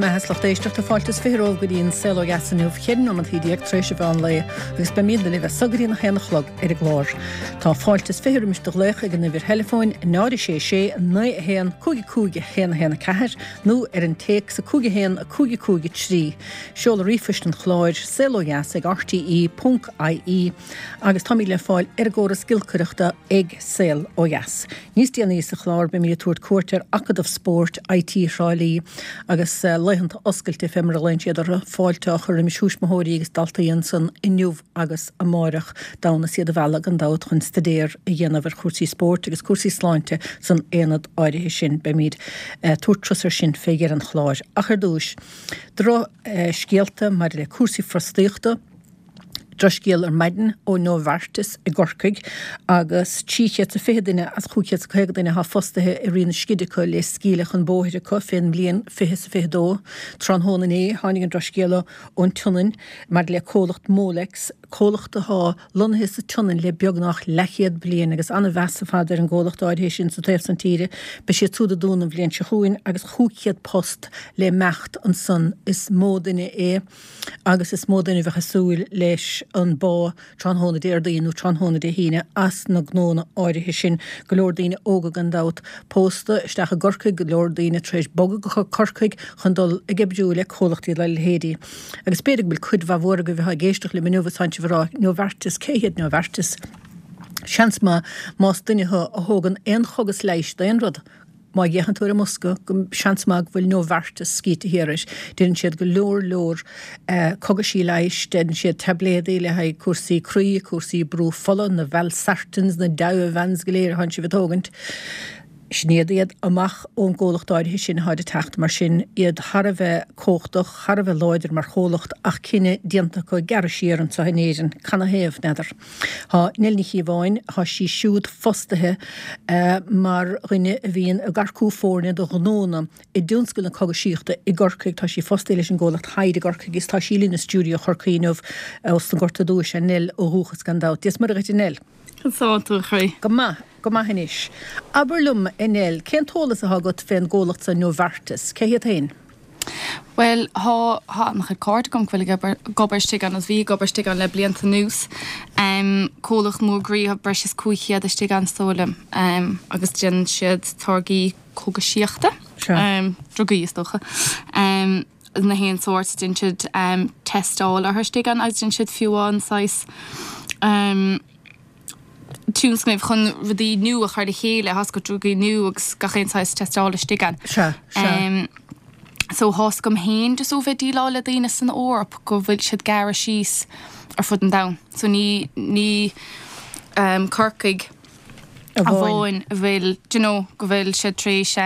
maith is lucht éisteachta, fáilte is 20 romhaibh go dtí an Saol Ó Dheas inniu, 14 nóimeantaí tar éis an mheán lae agus beimidne libh as so go dtí an 1 a chlog ar an gclár. Tá fáilte is 20 roimis do ghlaoch ag an uimhir theileafóin 0 6 6 9 1 5 5 1 1 4 nó ar an téacs 5 1 5 5 3. Seoladh ríomhphoist an chláir, saolodheas ag rte ponc ie agus táimid le fáil ar an gcóras giolcaireachta ag Saol Ó Dheas. Níos déanaí sa chlár beimid ag tabhairt cuairt ar Acadamh Spóirt IT Thrá Lí agus laethanta oscailte fé mar a ghlaonn siad orthu, fáilte á chur roimis thuismitheoirí agus daltaí ansan inniu agus amáireach, d'fhonn is iad a mhealladh gan dabht chun staidéar a dhéanamh ar chúrsaí spóirt agus cúrsaí sláinte san aonad áirithe sin. Beimid ag tabhairt turas ar sin fé dheireadh an chláir. Ach ar dtúis, drochscéalta maidir le cúrsaí fostaíochta. Drochscéal ar maidin ó Novartis i gCorcaigh agus 320 duine as 550 duine atá fostaithe i Raon na Scide acu le scaoileadh chun bóthair acu fén mbliain 2022. Tráthnóna inné tháinig an drochscéala ón tSionainn maidir le comhlacht Molex, comhlacht atá lonnaithe sa tSionainn le beagnach leathchéad bliain agus an-mheas ar fad ar an gcomhlacht áirithe sin sa taobh san tíre. Beidh siad súd ag dúnadh an bhliain seo chugainn agus 500 post le imeacht ansan. Is mó duine é. agus is mó duine a bheadh ag súil leis an bpá tráthnóna Déardaoin nó tráthnóna Dé hAoine as na gnónna áirithe sin. Go leor daoine óga gan dabht pósta isteach i gCorcaigh, go leor daoine tar éis bogadh go Corcaigh chun dul ag oibriú le comhlachtaí dá leithéidí. Agus b'fhéidir go bhfuil cuid mhaith mhór agaibh atá ag éisteacht liom inniu is tánn sibh ag rá Novartis, cé hiad Novartis? Seans maith más duine thú a thógann aon chogas leighis d'aon rud, Má fhéachann tú ar an mbosca, go seans maith go bhfuil Novartis scríte thiar air. Déanann siad go leor leor cogaisí leighis, déanann siad taibléadaí le haghaidh cúrsaí croí, cúrsaí brú fola, na Valsartans, na Diovan go léir atánn sibh ag tógaint. Sin iad iad amach ón gcomhlacht áirithe sin atáid ag teacht, mar sin, iad thar a bheith cumhachtach, thar a bheith láidir mar chomhlacht ach cinneadh déanta acu gearradh siar anseo in Éirinn. Canathaobh? N'fheadar. Tá Nell Ní Chíobháin, tá sí siúd fostaithe mar dhuine a bhíonn ag earcú foirne do ghnónna i dtionscal na cogaisíochta i gCorcaigh. Tá sí fostaithe leis an gcomhlacht Hyde i gCorcaigh agus tá sí linn i stiúideo Chorcaí inniu as an Ghort Aduaidh is ea Nell ó dhúchas gan dabht. Dia 's Muire dhuit a Nell. Conas tánn tú a chroí? Go maith, go maith anois. Abair liom, a Nell, cén t-eolas atá agat fén gcomhlacht so Novartis? Cé hiad féin? Bhuel, thá, thá an-chuid cairde agam go bhfuil ag obair, ag obair istigh ann agus bhí ag obair istigh ann le blianta anuas. Comhlacht mór groí, thá breis is 500 istigh ann is dóigh liom, agus déanann siad táirgí cógaisíochta, drugaí is dócha, na haon sórt, déanann siad teisteáil orthu istigh ann agus déanann siad fiú amháin saghas, tionscnaimh chun rudaí nua a chur le chéile, thá 's agat drugaí nua agus gach aon saghas teisteála istigh ann. Sea, sea. So thá 's agam féin just ó bheith déileáil le daoine san Eoraip go bhfuil siad gearradh síos ar fud an domhain. So ní, ní Corcaigh amháin a bhfuil, do you know, go bhfuil siad tar éis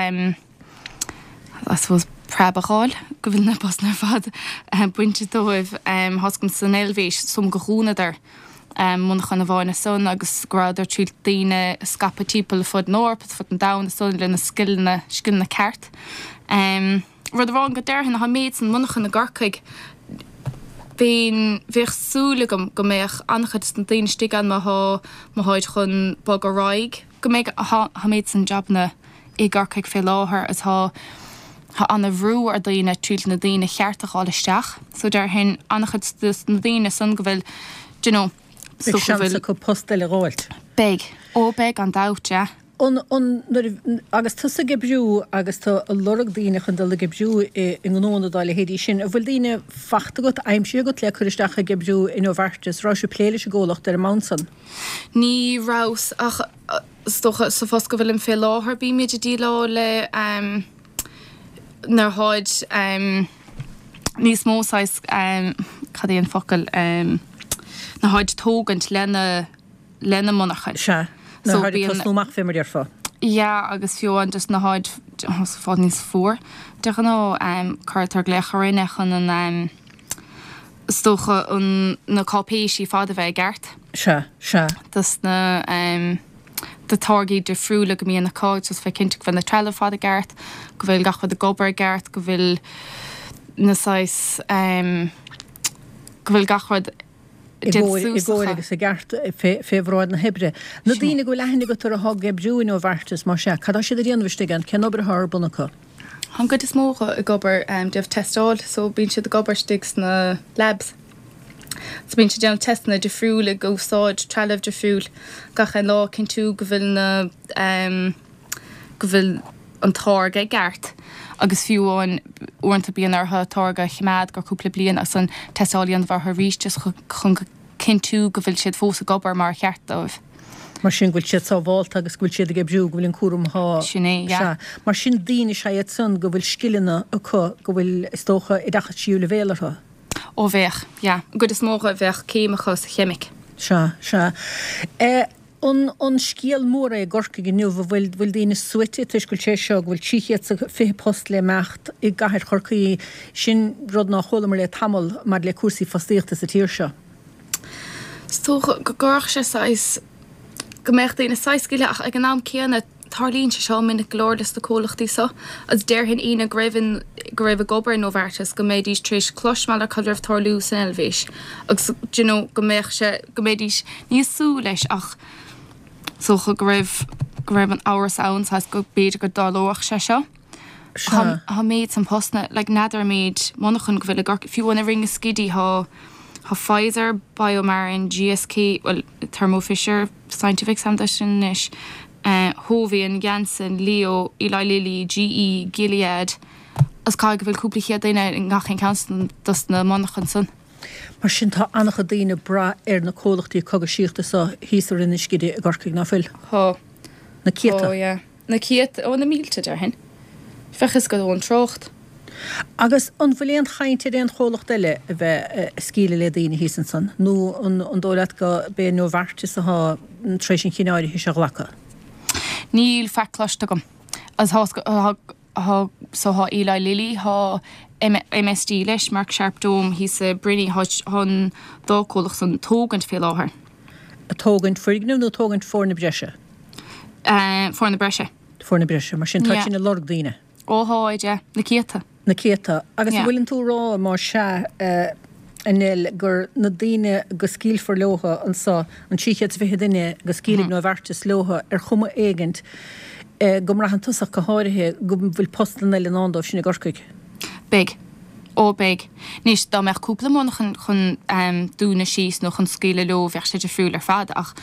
I suppose preab a fháil go bhfuil na postanna ar fad bainte dóibh. Thá 's agam san Eilvéis, is dóigh liom gur dhúnadar monarchan amháin ansan agus go rabhadar ag triail daoine a scaipeadh timpeall ar fud na hEorpa is fud an domhain ansan le na scileanna, scileanna ceart. Rud amháin go déarfainn, thá an méid san monarchan i gCorcaigh, bheinn, bheadh súil agam go mbeadh an-chuid de na daoine istigh ann má thá, má tháid chun bogadh ar aghaidh, go mbeidh, thá an méid san jabanna i gCorcaigh fé láthair is thá thá ana-bhrú ar daoine triail na daoine cheart a dh'fháil isteach so déarfainn an-chuid de na daoine san go bhfuil do you know Beidh go seans bhfuil acu post eile a dh'fháilt. Beidh. Ó beidh gan dabht, yeah. An, an, nuair a, agus tusa ag oibriú agus tú ag lorg daoine chun dul ag oibriú i, i ngnónna dá leithéidí sin, an bhfuil daoine fachta agat, aimsithe agat le cur isteach ag oibriú i Novartis? Raibh sibh ag plé leis an gcomhlacht ar an mbonn san? Ní rabhas ach Is dócha, sa phost go bhfuilim fé láthair, bímid ag déileáil le nuair tháid níos mó saghas, cad é an focal, nuair tháid tógaint lena, lena monarchain. Sea, nuair tháid ag tosnú amach fé mar déarfá. Yeah, agus fiú amháin just nuair tháid fáil níos fuar de ghnáth, cuirtear glaoch orainne chun an, is dócha an, na cáipéisí fad a bheith i gceart. Sea, sea. dos na do táirgí difriúla go mbíonn acu, just bheith cinnte go bhfuil na trealamh fad i gceart, go bhfuil gach rud ag obair i gceart, go bhfuil na saghas go bhfuil gach rud i gcóir, i gcóir agus i gceart fé, fé bhráid na hoibre. Na daoine go bhfuil aithne agat orthu atá ag oibriú i Novartis, más ea, cad tá siad ag déanamh istigh ann, cén obair atá ar bun acu? Tá an gcuid is mó acu ag obair déanamh teisteáil so bíonn siad ag obair istigh sna labs. So bíonn siad ag déanamh teisteanna difriúil ag úsáid trealamh difriúil gach aon lá cinntiú go bhfuil na go bhfuil an táirge i gceart agus fiú amháin uaireanta bíonn orthu táirge a choimeád go cúpla bliain agus an teisteáil a dhéanamh orthu arís just chun cinntiú go bhfuil siad fós ag obair mar a cheart dóibh. Mar sin go bhfuil siad sábhálta agus go bhfuil siad ag oibriú, go bhfuil an cúram atá. Sin é, yeah. Sea. Mar sin daoine is ea iad san go bhfuil scileanna acu, go bhfuil, is dócha, oideachas tríú leibhéal orthu. Ó bheadh, yeah. An gcuid is mó acu bheadh céim acu sa cheimic. Sea, sea. Eh, an, an scéal mór é i gCorcaigh inniu, an bhfuil, bhfuil daoine suaite toisc go bhfuil sé seo, go bhfuil 320 post le imeacht i gcathair Chorcaí, sin rud nár chualamar le tamall maidir le cúrsaí fostaíochta sa tír seo. Is dócha go gcuirfeadh sé saghas, go mbeadh daoine saghas sceimhlithe ach ag an am céanna tarlaíonn sé seo minic go leor leis na comhlachtaí seo agus déarfainn éinne go raibh in, go raibh ag obair i Novartis go mbeidís tar éis cloismeáil ar cad raibh tarlú san Eilvéis agus do you know go mbeadh sé, go mbeidís ní ag súil leis ach is dócha go raibh, go raibh an amhras ann saghas go b'fhéidir go dtarlódh sé seo. Sea. Tá an méid san postanna, like n'fheadar an méid monarchan go bhfuil i gCorcaigh, fiú amháin i Rinn na Scidí tá, tá Pfizer, BioMarin, GSK, bhuel Thermo Fisher Scientific is ainm dó sin anois, Hovian, Janssen, Leo, Eli Lilly, GE, Gilead, agus caithfidh go bhfuil cúpla chéad duine i ngach aon ceann dos na monarchain san. Mar sin tá an-chuid daoine ag brath ar na comhlachtaí cogaisíochta so thíos i Rinn na Scide i gCorcaigh, ná fuil? Tá. Na céadta. Tá, yeah. Na céadta, ó na mílte, déarfainn. Bheadh fhios agat ón trácht. Agus an bhfuil aon chaint ar aon chomhlacht eile a bheith ag scaoileadh le daoine thíos ansan, nó an dóigh leat go b'é Novartis atá tar éis an chinneadh áirithe seo a ghlacadh? Níl faic cloiste agam. Agus tá, tá, so tá Eli Lilly, tá MSD leis, Merck Sharp Dohme thíos i Brinny, tá, tá an dá comhlacht san tógaint fé láthair. Ag tógaint foirgneamh nó tógaint foirne breise? Foirne breise. Foirne breise, mar sin tá sin ag lorg daoine. Ó tháid, yeah. Na céadta. Na céadta. Agus an bhfuileann tú a rá, más ea, a Nell, gur na daoine go scaoilfear leotha anso, an 320 duine go scaoilfidh Novartis leotha ar chuma éigint, go mbraitheann tusa ach go háirithe, go bhfuil postanna eile i ndán dóibh sin i gCorcaigh? Beidh. Ó, beidh. Anois, dá mbeadh cúpla monarchan chun dúnadh síos nó chun scaoileadh leo, bheadh sé difriúil ar fad, ach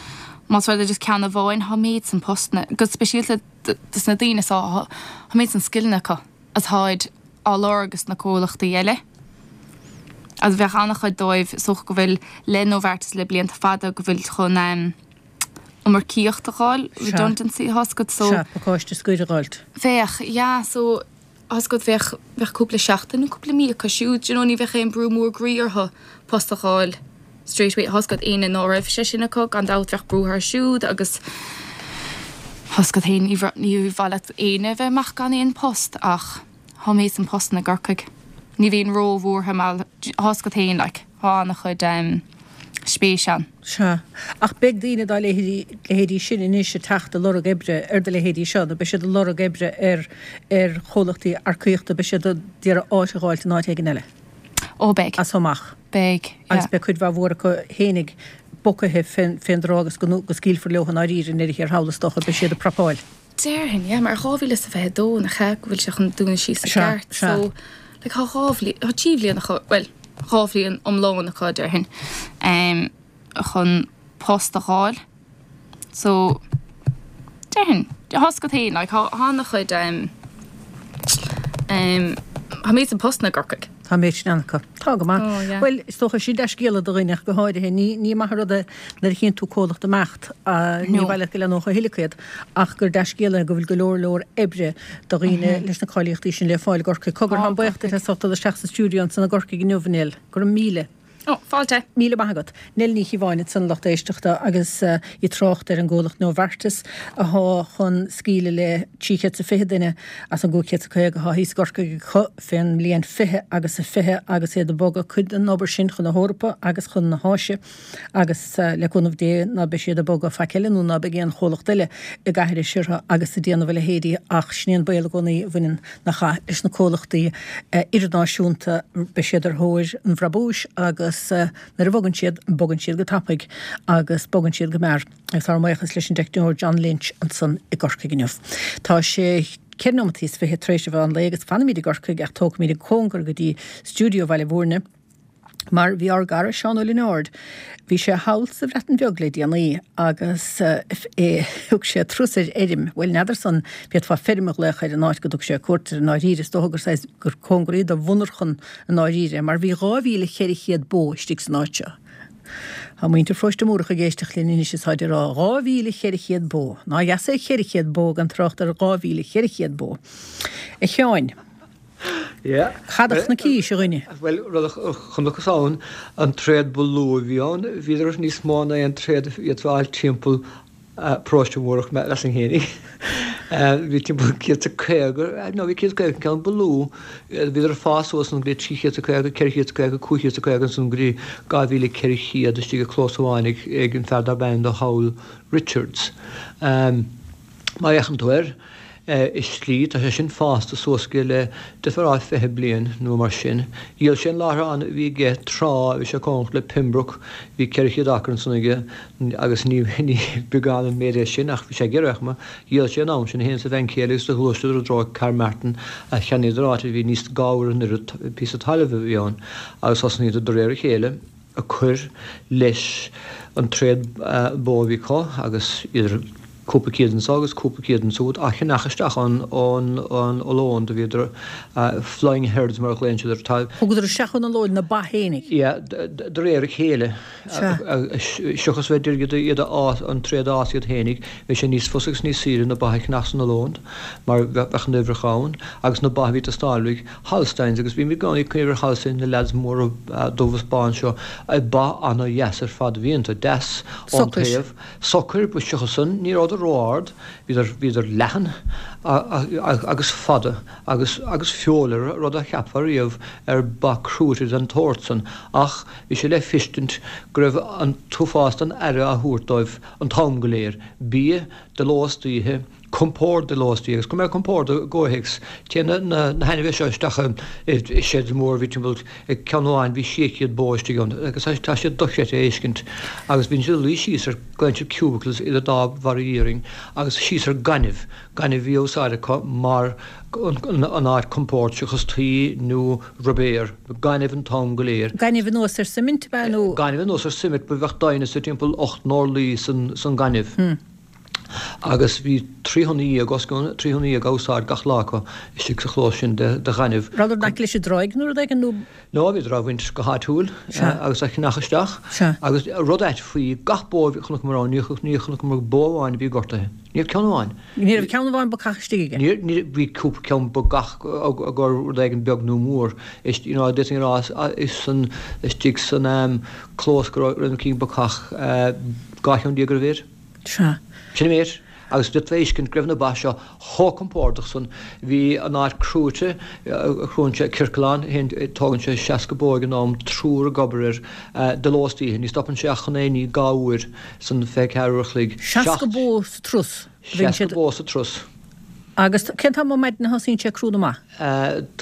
más rud é just ceann amháin, tá an méid san postanna, go speisialta dos na daoine so, tá an méid san scileanna acu atáid á lorg ag na comhlachtaí eile. Agus bheadh an-chuid dóibh, is dócha go bhfuil le Novartis le blianta fada, go bhfuil chun iomarcaíocht a fháil, redundancy, tá 'fhios agat, so. Sea, pacáiste scoir a dh'fháilt. Bheadh, yeah, so. Tá 'fhios agat, bheadh, bheadh cúpla seachtain nó cúpla mí acu siúd, do you know, ní bheadh aon brú mór groí orthu post a fháil straight away. Tá 'fhios agat, éinne ná raibh sé sin acu, gan dabht bheadh brú orthu siúd agus tá 'fhios agat féin, ní, ní mhaith leat éinne a bheith amach gan aon post ach tá an méid san postanna i gCorcaigh. Ní bheinn ró-bhuartha mar tá 'fhios agat féin, like, tá an-chuid em spéis ann. Sea. Ach beidh daoine dá leithéidí, leithéidí sin anois ag teacht ag lorg oibre ar do leithéidí seo, nó beidh siad ag lorg oibre ar, ar chomhlachtaí earcaíochta, beidh siad ag iarraidh áit a dh'fháilt in áit éigin eile. Ó, beidh. As so amach. Beidh, yeah. Agus beidh cuid mhaith mhór acu fhéinig bocaithe fén, fén dtráth agus go, go scaoilfear leo i ndáiríre i ndeireadh thiar thall is dócha, beidh siad ag prapáil. Déarfainn, yeah, mar 2022 nach ea go bhfuil sé chun dúnadh síos i Sea, gceart, sea. so like tá dhá bhliain, tá trí bhliain acu, bhuel, dhá bhliain iomlán acu déarfainn, em, chun post a dh'fháil. So, déarfainn, tá 'fhios agat féin, like tá an-chuid, em, em, tá an méid san postanna i gCorcaigh. Tá an méid sin ann acu. Tá go maith. Oh, yeah. Bhuel, is dócha sin dea-scéala do dhuine ach go háirithe. Ní, ní maith an rud é nuair a chíonn tú comhlacht ag imeacht, ní No. mhaith leat go leathnódh a thuilleadh iad, ach gur dea-scéala é go bhfuil go leor leor oibre do dhaoine leis na cáilíochtaí sin le fáil i gCorcaigh. Cogar, Tá, táim buíoch duit Corcaigh. as ucht dul isteach sa stiúideo ansan i gCorcaigh inniu, a Nell. Go raibh míle. Ó, fáilte. Míle maith agat. Nell Ní Chíobháin ansan a lucht éisteachta agus í ag trácht ar an gcomhlacht Novartis athá chun scaoileadh le 320 duine as an gcúig chéad is 50 athá thíos i gCorcaigh acu fén mbliain 20 agus a 20 agus iad ag bogadh cuid den obair sin chun na hEorpa agus chun na hÁise agus le cúnamh Dé ná beidh siad ag bogadh faic eile nó ná beidh aon chomhlacht eile ag aithris orthu agus ag déanamh a leithéidí ach sin é an baol i gcónaí a bhaineann nach ea, leis na comhlachtaí idirnáisiúnta, beidh siad ar thóir an bhrabúis agus nuair a bhogann siad, bogann siad go tapaidh agus bogann siad go mear. Agus ár mbuíochas leis an dteicneoir John Lynch ansan i gCorcaigh inniu. Tá sé. 4 nóimeataí is 20 tar éis an mheán lae agus fanfaimid i gCorcaigh ach tógfaimid an cóngar go dtí stiúideo Bhaile Bhúirne mar bhí ár gcara Seán Ó Lionáird, bhí sé thall sa Bhreatain Bheag le déanaí agus é, thug sé turas ar fheirm, bhuel n'fheadar san, bhféadfá feirm a ghlaoch ar an áit go dtug sé cuairt air i ndáiríre, is dócha gur saghas, gur cóngaraí do mhonarchan i ndáiríre mar bhí 2,400 bó istigh san áit seo. Tá muintir Pharóiste Múrach ag éisteacht linn anois is táid ag rá 2,400 bó. Nár dheas é 400 bó gan trácht ar 2,400 bó. A Sheáin, Yeah. cad a chonaicís, a dhuine? Bhuel, rud a chonacthas ann, an tréad ba lú a bhí ann, bhíodar níos mó ná aon tréad a d'fhéadfá a fháil timpeall Paróiste Mhúrach, measaim fhéinig. Bhí timpeall 150, nó bhí 150 an ceann ba lú, bhíodar ag fás suas ann go dtí 350, 450, 550 ansan go dtí 2,400 istigh i gclós amháin ag an fear darb ainm do Howell Richards. Má fhéachann tú air, i slí, tá sé sin fásta suas go le, d'fhéadfá a rá, 20 bliain nó mar sin. Dhíol sé an láithreán a bhí aige tráth a bhí sé cóngarach le Pembroke, bhí 400 acra ansan aige agus ní beagán an méid é sin ach bhí sé ag iarraidh cuma. Dhíol sé an am sin é féin is a bhean chéile agus do ghluaiseadar i dtreo Carmarthen a cheannaíodar áit a bhí níos dhá uair an oiread píosa talaimh a bhí ann agus thosnaíodar de réir a chéile. ag cur leis an tréad bó a bhí acu agus idir cúpla céad anso agus cúpla céad ansúd á cheannach isteach ón Ollóin do bhíodar flying herds mar a ghlaonn siad orthu. Tá. Thugadar isteach ón Ollóin na ba fhéinig. Yeah, de réir a chéile. Seachas bheith d'iarraidh iad a fhás, an tréad a fhás iad fhéinig, bhí sé níos fusa agus níos saoire na ba a cheannach san Ollóin mar bheadh na huimhreacha ann agus na ba a bhí ag teastáil uaidh. Holsteins, agus bhím i gcónaí ag cuimhneamh ar Holsteins, na leaids móra dubh is bán seo, ba ana-dheas ar fad a bhí iontu, deas ón taobh, socair, but seachas san, ní rabhadar ró-ard, bhíodar, bhíodar leathan agus fada agus, agus feoil orthu, rud a cheapfá riamh ar ba crúite den tsórt san, ach bhí sé le feiscint go raibh an t-uafás den aire á thabhairt dóibh an t-am go léir, bia de ló is d'oíche, compord de ló is d'oíche agus cuir mé compord i gcomhthéacs. Téann na hainmhithe seo isteach i seid mór, bhí timpeall ceann amháin, bhí 600 bó istigh ann agus tá siad dochreidte a fheiscint agus bíonn siad ag luí síos ar, glaonn siad cubicles idir dá bharra iarainn agus síos ar gaineamh, gaineamh a bhí á úsáid acu mar an áit compord seachas tuí nó ruibéar, gaineamh an t-am go léir. Gaineamh anuas ar suimint ab ea nó? Gaineamh anuas ar suimint, bheadh doimhneas de timpeall 8 n-orlaí san gaineamh. Agus bhí 13 thonna, os cionn 13 thonna á úsáid gach lá acu istigh sa chlós sin de ghaineamh. Rabhadar in aice leis an dtráigh nó rud éigin nó? No, bhíodar á bhaint go háitiúil agus á cheannach isteach. Agus rud ait faoi gach bó a chonaiceamar ann, ní chonaiceamar bó amháin a bhí gortaithe. Ní raibh ceann amháin. Ní raibh ceann amháin bacach istigh aige? Ní, ní, bhí cúpla ceann bacach ag rud éigin beag nó mór. Is, you know, d'fhéadfainn a rá is san, istigh san clós go raibh na cinn bacach, 12 cheann ar a mhéad. Sea. Sin an méid. Agus d'fhéadfá a fheiscint go raibh na ba seo chomh compordach san. Bhí an áit crúite, crúann sé ciorclán, tógann sé 60 bó ag an am, triúr ag obair air, de ló is d'oíche. Ní stopann sé ach chun é a ní dhá uair san 24 uair a chloig. 60 bó sa turas. 60 bó sa turas. Agus cén t-am ar maidin a thosaíonn sé ag crú na mba?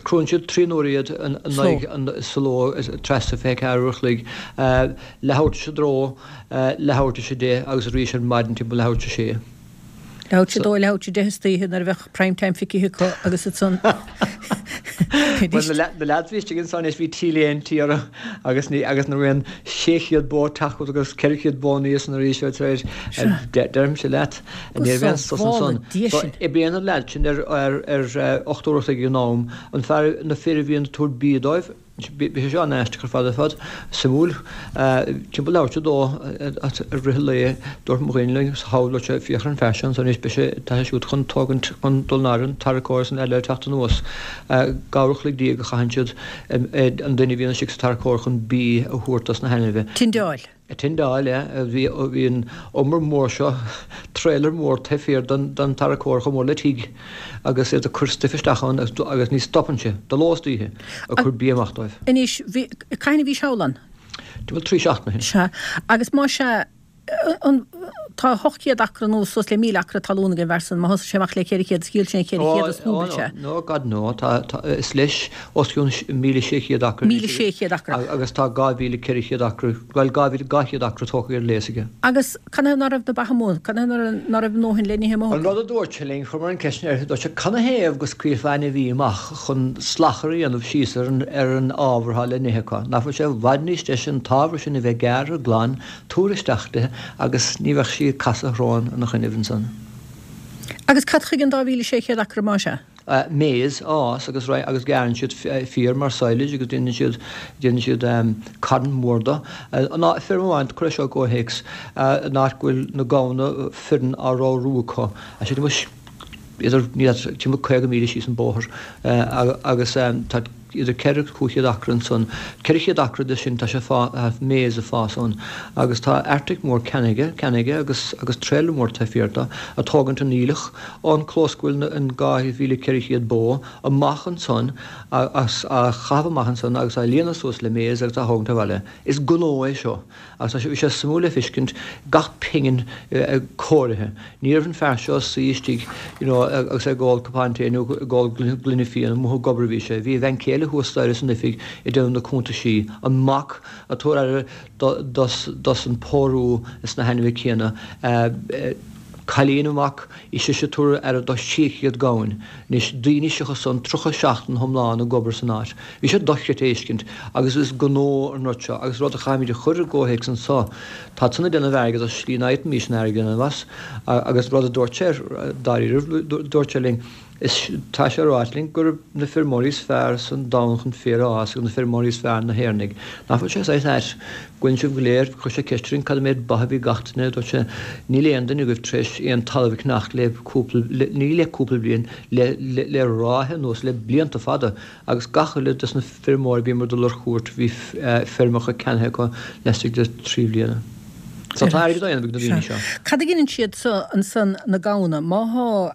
Crúann siad trí n-uaire iad in aghaidh sa ló trasna 24 uair a chloig, leathuair tar éis a dó, leathuair tar éis a deich agus arís ar maidin timpeall leathuair tar éis a sé. Leathuair tar éis a dó, leathuair tar éis a deich istoíche nuair a bheadh prime time feicthe acu agus ansan Bhuel na leaids a bhí istigh ansan anois bhí t-léinte orthu agus ní agus nuair a bhíonn 600 bó ag teacht chugat agus 400 bó aníos san arís tar éis deirimse leat ní raibh aon sos ansan. So oibríonn na leaids sin ar ar ar 8 uair a chloig ag an am. An fear na fir a bhíonn ag tabhairt bia dóibh Bhí sé seo an-aisteach ar fad ar fad, suimiúil. Timpeall leathuair tar éis a dó i rith an lae, dúirt mo dhuine linn, thall, dúirt sé, féach ar an fear seo ansan anois, beidh sé, tá sé siúd chun tógaint, chun dul in airde an tarracóir is an eile ag teacht anuas. Dhá uair a chloig déag a chaitheann siad, an duine a bhíonn istigh sa tarracóir chun bia a thabhairt dos na hainmhithe. Tindeáil. Tindeáil, yeah. Bhí, bhí an umar mór seo, trailer mór taobh thiar den, den tarracóir chomh mór le tigh agus iad ag cur stuif isteach ann agus, agus ní stopann sé, de ló is d'oíche, ag cur bia amach dóibh. Anois, bhí, cathain a bhís thall ann? Timpeall 3 seachtaine ó shin. Sea. Agus más ea, an. Tá 800 acra nó suas le 1,000 acra talún ag an bhfear san. Má thosaigh sé amach le 400 is dhíol sé an 400 is dhúbail sé. No, God no. Tá, tá, is leis os cionn 1,600 acra. 1,600 acra. Agus tá 2,400 acra, bhuel 2,200 acra tógtha ar léas aige. Agus canathaobh ná raibh na ba amuigh? Canathaobh ná raibh a ndóthain le n-ithe amuigh acu? An rud a dúirt sé linn, chuireamar an cheist air, dúirt sé, canathaobh go scaoilfeá ainmhí amach chun slachar a dhéanamh síos ar an, ar an ábhar atá le n-ithe acu? Nach bhfuil sé i bhfad níos deise an t-ábhar sin a bheith gearrtha glan, tabhair isteach di agus ní bheadh sí ag casadh a shrón ina choinnibh ansan. Agus cad chuige an 2,600 acra más ea? Maize a fhás agus agus gearrann siad féar mar silage agus déanann siad déanann siad carn mór de. An áit feirm amháin, cuir é seo i gcomhthéacs, an áit go bhfuil na gamhna fireann á ramhrú acu, tá sé idir níl timpeall 50 míle síos an bóthar agus tá idir 400 agus 500 acra ansan, 400 acra de sin tá sé fá, maize ag fás ann agus tá Arctic mór ceannaithe, ceannaithe agus agus trailer mór taobh thiar de, ag tógaint an aoileach ón clós go bhfuil an 2,400 bó amach ansan agus á chaitheamh amach ansan agus á líonadh suas le maize agus á thógaint abhaile. Is gnó é seo. Agus tá sé, bhí sé suimiúil le feiscint, gach pingin cóirithe. Ní raibh an fear seo ag suí istigh you know agus é ag ól cupán tae nó ag ól gloine fíona, amuigh ag obair a bhí sé. Bhí a bhean chéile thuas staighre san oifig ag déanamh na cuntaisí. An mac ag tabhair aire dos, dos an pórú is na hainmhithe céanna. Cailín an mhac, í sise ag tabhair aire do 600 gamhain. Anois, daoine seachas san, 30 seachtain iomlán ag obair san áit. Bhí sé dochreidte a fheiscint agus is gnó an rud seo agus rud a chaithfimid a chur i gcomhthéacs anso, tá san ag déanamh airgead as slí ná fhéadfaimís an airgead a dhéanamh as agus rud a dúirt sé dáiríribh, dúirt sé linn, is tá sé ráite linn gurb na feirmeoirí is fearr san domhan chun féar a fhás agus na feirmeoirí is fearr na hÉireannaigh. Nach bhfuil sé saghas ait? Go bhfuil sibh go léir, chuir sé ceist orainn cad é méid ba a bhí gach duine, dúirt sé, níl aon duine agaibh tar éis aon talamh a cheannacht le cúpla, ní le cúpla bliain, le, le, le ráithe anuas, le blianta fada. Agus gach uile des na feirmeoirí a bhíomar ag dul ar chuairt bhí feirmeacha ceannaithe acu laistigh de thrí bhliana. So tá airgead á dhéanamh ag na daoine seo. Cad a ghineann siad so ansan na gamhna? Má thá,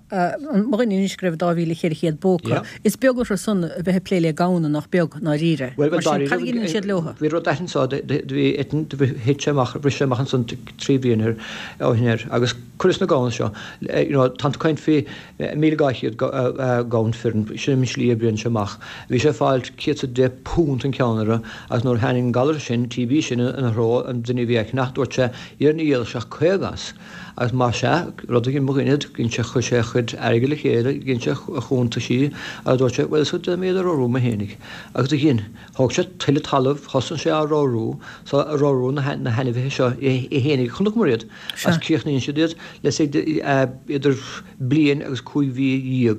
mo dhuine anois go raibh 2,400 bó acu, is beag orthu san a bheith ag plé le gamhna nach beag, ndáiríre. Mar sin, cad a ghineann siad leothu? Bhí rud anso, bhí eitinn, thit sé amach, bhris sé amach ansan trí bhliana ó shin air agus cuireas na gamhna seo, you know, tá tú ag caint faoi 1,200 gamhain fireann, sin an slí a oibríonn sé amach. Bhí sé ag fáil £110 an ceann orthu agus nuair a tháinig an galar sin, TB sin, ina threo, an duine a bhí á cheannach, dúirt sé, dhera ní dhíolfadh sé ach 50 as. Agus más ea, rud a dhein mo dhuine, dhein sé, chuir sé a chuid airgid le chéile, dhein sé a chuntaisí agus dúirt sé, bhuel, is déanfaidh mé iad a ramhrú mé fhéinig. Agus do dhein. Thóg sé tuilleadh talaimh, thosaigh sé á ramhrú, so ag ramhrú na hainmhithe seo é fhéinig, chonaiceamar iad agus críochnaíonn siad iad le say idir bliain agus 15 mhí.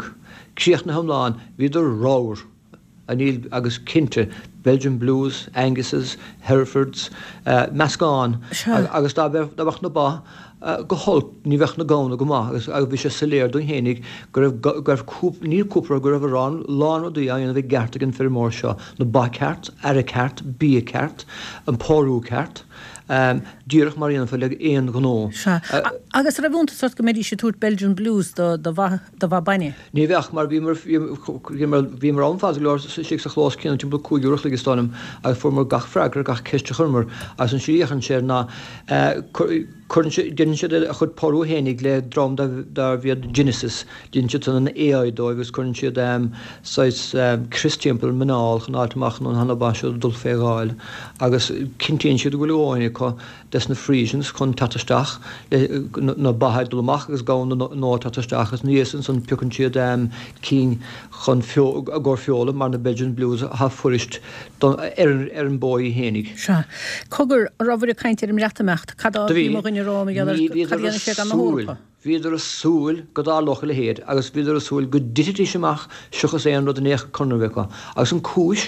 Críochnaithe iomlán, bhíodar ramhar, níl, agus cinnte, Belgian Blues, Anguses, Herefords, meascán agus dá mbeadh na ba go holc, ní bheadh na gamhna go maith agus bhí sé soiléir dúinn fhéinig go raibh, go raibh cúpla, ní cúpla rud, go raibh a lán rudaí á dhéanamh i gceart ag an feirmeoir seo, na ba ceart, aire ceart, bia ceart, an pórú ceart, díreach mar a dhéanfá le aon ghnó. Sea. Agus an raibh iontas ort go mbeidís ag tabhairt Belgian Blues do, do bha, do bha bainne? Ní bheadh, mar bhíomar, bhíomar, bhíomar ann fada go leor istigh sa chlós céanna timpeall 5 uair a chloig is dóigh liom agus fuaireamar gach freagra ar gach ceist a chuireamar agus an slí a fhéachann sé air ná cuireann sé, déanann siad a chuid pórú fhéinig le dream darbh iad Genesis, déanann siad san an AI dóibh agus cuireann siad saghas crios timpeall an muineál chun fháilt amach an bhfuil na ba seo ag dul fé dháil agus cinntíonn siad go bhfuil a dhóthain acu des na Friesians chun teacht isteach le na ba ag dul amach agus gamhna nua ag teacht isteach agus ina dhiaidh sin ansan piocann siad cinn chun i gcomhair feola mar na Belgian Blues atá fuirist don ar an bó í fhéinig. Sea. Cogar, an rabhair ag caint ar an mBreatimeacht? Cad a bhí mo dhuine a rá mar gheall air? Cad a dhéanfaidh sé gan na hEorpa? Bhíodar ag súil go dtarlódh a leithéid agus bhíodar ag súil go dtitfidís amach seachas aon rud in aon chor conradh a bheith acu. Agus an cúis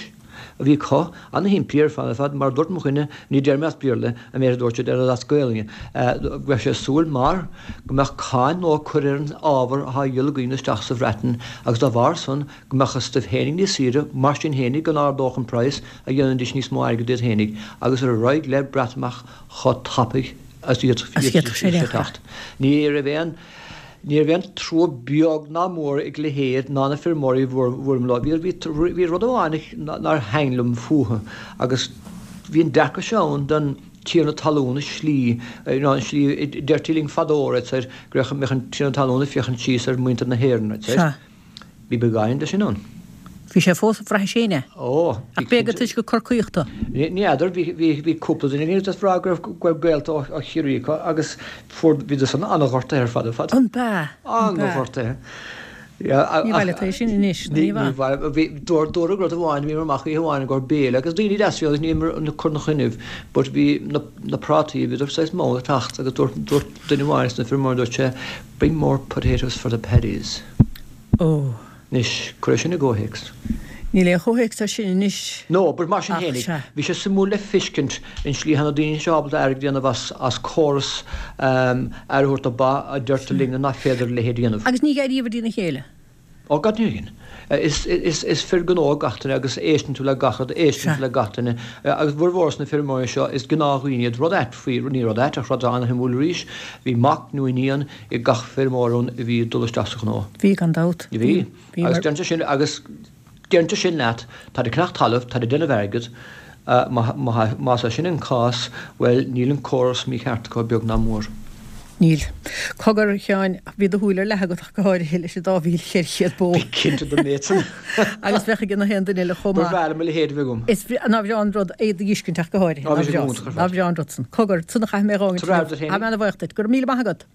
a bhí acu, ana-shimplí ar fad ar fad, mar a dúirt mo dhuine, ní deir mé as Béarla an méid a dúirt sé, deir as Gaelainn, go raibh sé ag súil mar go mbeadh cáin nua curtha ar an ábhar atá á dhíol againn isteach sa Bhreatain agus dá bharr san go mbeadh a stuif fhéinig níos saoire, mar sin fhéinig go n-ardódh an praghas a dhéanfaidís níos mó airgid iad fhéinig agus ar aghaidh le Breatimeacht chomh tapaidh As d'fhéadfadh sé teacht. Ní raibh aon ní raibh aon trua beag ná mór ag a leithéid ná na feirmeoirí a bhuaileamar leo. Bhí bhí rud amháin nár thaitin liom fúthu agus bhí an dearcadh seo ann don. tiarna talún i slí, you know, an slí, deirtí linn fadó, right, soir, go raibh, mbeadh an tiarna talún ag féachaint síos ar mhuintir na hÉireann, right, soir. Sea. Bhí beagáinín de sin ann. Bhí sé fós, bhraithis féin é. Ó, bhí Ach b'fhéidir toisc gur Corcaíoch tú. Ní fheadar, bhí, bhí, bhí cúpla duine againn ag rá go raibh, go raibh gaolta ó, ó Chiarraí acu agus fuair, bhíodar san an-ghortaithe ar fad ar fad. An b'ea? An b'ea? An-ghortaithe. Ní maith leat é sin anois, ní maith. Bhí, dúradh rud amháin, bhíomar amach oíche amháin i gcomhair béile agus daoine deasa agus níl ag cur ina choinnibh but bhí na, na prátaí, bhíodar saghas mall ag teacht agus dúirt, dúirt duine amháin as na feirmeoirí, dúirt sé, bring more potatoes for the paddies. Ó. Anois, cuir é sin i gcomhthéacs. Níl aon chomhthéacs air sin anois. No, but mar sin fhéinig, bhí sé suimiúil le feiscint an slí a na daoine seo ábalta airgead a dhéanamh as, as córas aire a thabhairt do ba a deirtear linne nach féidir a leithéid a dhéanamh. Agus ní dh'airíobhair dtína chéile. Ó, gach duine againn. Is, is, is fir gnó gach duine agus éisteann tú le gach rud, éisteann tú le gach duine. Agus bhformhór na feirmeoirí seo, is gnáthdhaoine iad. Rud ait faoi, ní rud ait ach rud an-shuimiúil arís, bhí mac nó iníon ag gach feirmeoir ann a bhí ag dul isteach sa ghnó. Bhí, gan dabht. Bhí. Agus deireann sé sin, agus deireann sé sin leat, táid ag ceannach talaimh, táid ag déanamh airgid, más é sin an cás, bhuel, níl an córas mícheart acu beag ná mór. Níl. Cogar, a Sheáin, bhí do shúil ar leathadh agat ach go háirithe leis an dá 1,400 bó. Bí cinnte den méid san. Agus bheadh ag gach aon duine eile chomh maith. Ba bhreá liom a leithéid a bheith agam. Is nár bhreá an rud é d'fheiscint ach go háirithe. Á, bhí sé go hiontach ar fad. Nár bhreá an rud san. Cogar, san a chaithfidh mé a dh'fhágaint inniu. Tá mé ana-bhuíoch duit. Go raibh míle maith agat.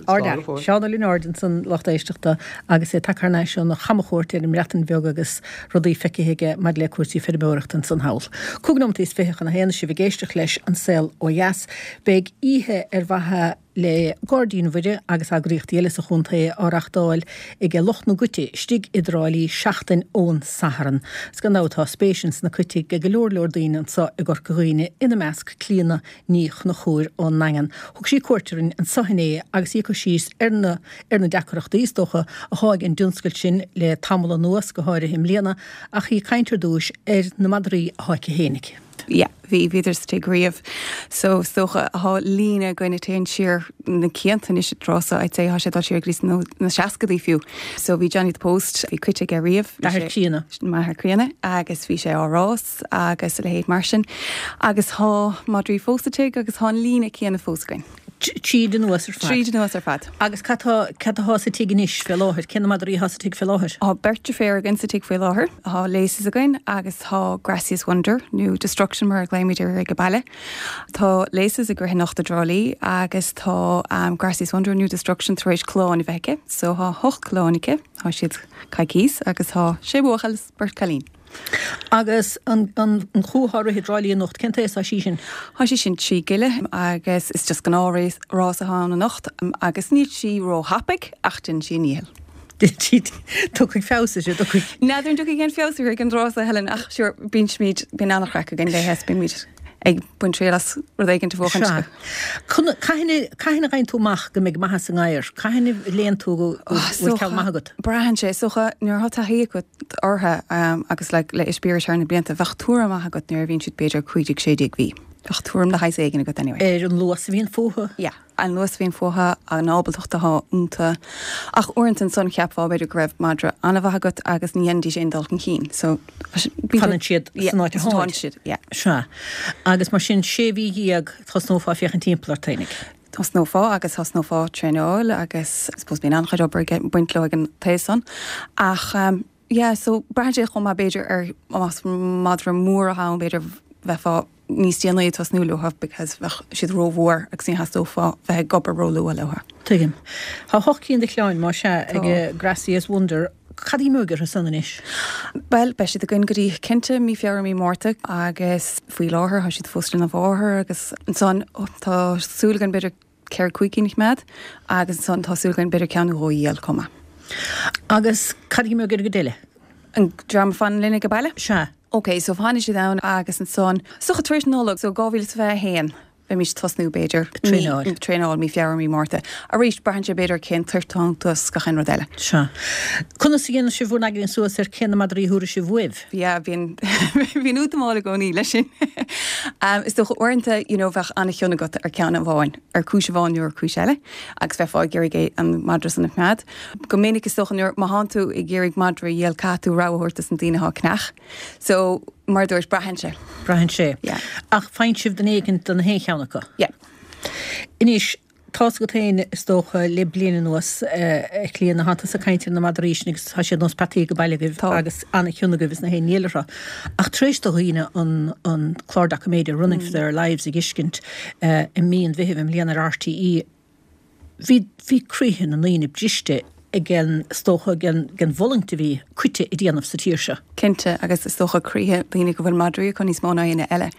Ardfhear, Seán Ó Lionáird ansan, lucht éisteachta, agus é tagtha thar n-ais óna chamchuairt ar an mBreatain Bheag agus rudaí feicthe aige maidir le cúrsaí feirmeoireachta ansan thall. Cúig nóimeataí is fiche chun a haon, sibh ag éisteacht leis An Saol Ó Dheas. Beidh oíche ar mhaithe le Gairdín Mhuire agus eagraíochtaí eile sa chontae á reachtáil ag lucht na gcoite istigh i dTrá Lí seachtain ón Satharn. Is gan dabht tá spéis ins na coite ag go leor leor daoine anso i gCorca Dhuibhne, ina measc Clíona Ní Chonchúir ón nDaingean. Thug sí cuairt orainn anso inné agus í ag cur síos ar na ar na deacrachtaí, is dócha, athá ag an dtionscal sin le tamall anuas, go háirithe i mbliana, ach í ag caint ar dtúis ar na madraí athá aici fhéinig. Yeah, bhí, bhíodar sa tigh riamh. So, is dócha, thá líne againn a téann siar na cianta anois an tráth so, I'd say, thá sé ag dul siar go dtí na seascadaí fiú. So, bhí Johnny the Post, bhí coite aige riamh. Athair Críona. M'athair críonna, agus bhí sé á rás. agus a leithéid mar sin. Agus thá madraí fós sa tigh agus thá an líne céanna fós againn. Tríd anuas ar fad. Tríd anuas ar fad. Agus cad tá, cad athá sa tigh anois fé láthair? Cé na madraí athá sa tigh fé láthair? Thá beirt deirféar againn sa tigh faoi láthair. Thá Laces againn agus thá Gracious Wonder, nó Destruction mar a ghlaoimid uirthi ag an baile. Tá Laces ag rith anocht i dTrá Lí agus tá Gracious Wonder nó Destruction tar éis clann a bheith aici. So thá hocht clann aici, thá siad coicíos agus thá sé buachaill is beirt cailín. Agus an chú atá ag rith i dTrá Lí anocht, cén t-aos atá sí sin? Tá sí sin 3 gile agus is just gnáth rás atá ann anocht agus níl sí ró-thapaidh ach déanann sí a ndícheall. Tiocfaidh feabhas uirthi, tiocfaidh. N'fheadar an dtiocfaidh aon feabhas uirthi ag an dtráth seo, Helen, ach sure, bíonn simid, bíonn an-chraic againn léithe is bímid ag baint triail as rud éigin a bhuachaint. Sea. Cathain a fhaigheann tú amach go mbeidh maitheas i ngadhar? Cathain a léann tú go bhfuil ceann maith agat? Braitheann sé. Is dócha nuair atá taithí agat orthu agus like le eispéireas thar na blianta, bheadh tuairim maith agat nuair a bhíonn siad b'fhéidir 15, 16 mhí. Bheadh tuairim de shaghas éigin agat anyway. Ar an luas a bhíonn fúthu? Yeah. An luas a bhíonn fúthu, an ábaltacht atá iontu. Ach uaireanta ansan cheapfá b'fhéidir go raibh madra an-mhaith agat agus ní dhéanfaidís aon dul chun cinn. So Fanann siad san áit a tháid. siad, yeah. Sea. Agus mar sin, sé mhí dhéag thosnófá ag féachaint timpeall ort fhéinig. Thosnófá agus thosnófá traenáil agus I suppose bíonn an-chuid obair ag baint leo ag an taobh san. Ach yeah, so braitheann sé chomh maith b'fhéidir ar más madra mór atá ann b'fhéidir bheifeá níos déanaí ag tosnú leo because bheadh siad rómhór agus ní theastófá bheith ag obair róluath leo. Tuigim. Tá hocht cinn de chlann, más ea, ag Gracious Wonder. Cad a imeoidh orthu san anois? Bhuel, beidh siad againn go dtí cinnte mí Feabhra, mí Márta agus faoi láthair tá siad fós lena mháthair agus ansan tá súil againn b'fhéidir ceithre cúig cinn a choimeád agus ansan tá súil againn b'fhéidir ceann nó dhó a dhíol chomh maith. Agus cad a imeoidh ar an gcuid eile? An dream a fanann linn ag an baile? Sea. Ok, so fanfaidh siad ann agus ansan, is dócha tar éis Nollag, so 2021, beimid ag tosnú b'fhéidir. Traenáil. Traenáil mí Feabhra, mí Márta. Arís, braitheann sé b'fhéidir cén toirt atá iontu is gach aon rud eile. Sea. Conas a dhéanann sibh bhur n-aigne suas ar cé na madraí a thabharfaidh sibh uaibh? Yeah, bíonn, bíonn útamáil i gcónaí leis sin. Is dócha uaireanta, you know, bheadh an-chion agat ar ceann amháin, ar cúis amháin nó ar cúis eile, agus bheifeá ag iarraidh é, an madra san a choimeád. Go minic is dócha nuair, má thánn tú ag iarraidh madra a dhíol caithfidh tú rogha a thabhairt dos na daoine atá ag ceannach. So. Mar a dúirt, braitheann sé. Braitheann sé. Yeah. Ach faigheann sibh duine éigint do na haon cheann acu? Yeah. Anois, tá's agat féin, is dócha, le bliain anuas, a Chlíodhna, thánn tusa ag caint ar na madraí sin agus tá siad nós peataí ag baile agaibh Tá. agus an-chion agaibh is na haon ní eile orthu. Ach tar éis do dhaoine an an clár doiciméide Running for Their Lives a dh'fheiscint i mí an Mheithimh i mbliana ar RTÉ, Bhí, bhí croíthe na ndaoine briste ag an, is dócha, ag an, ag an bhfulaingt a bhí coite ag déanamh sa tír seo. Cinnte, agus is dócha croíthe daoine go bhfuil madraí acu níos mó ná éinne eile.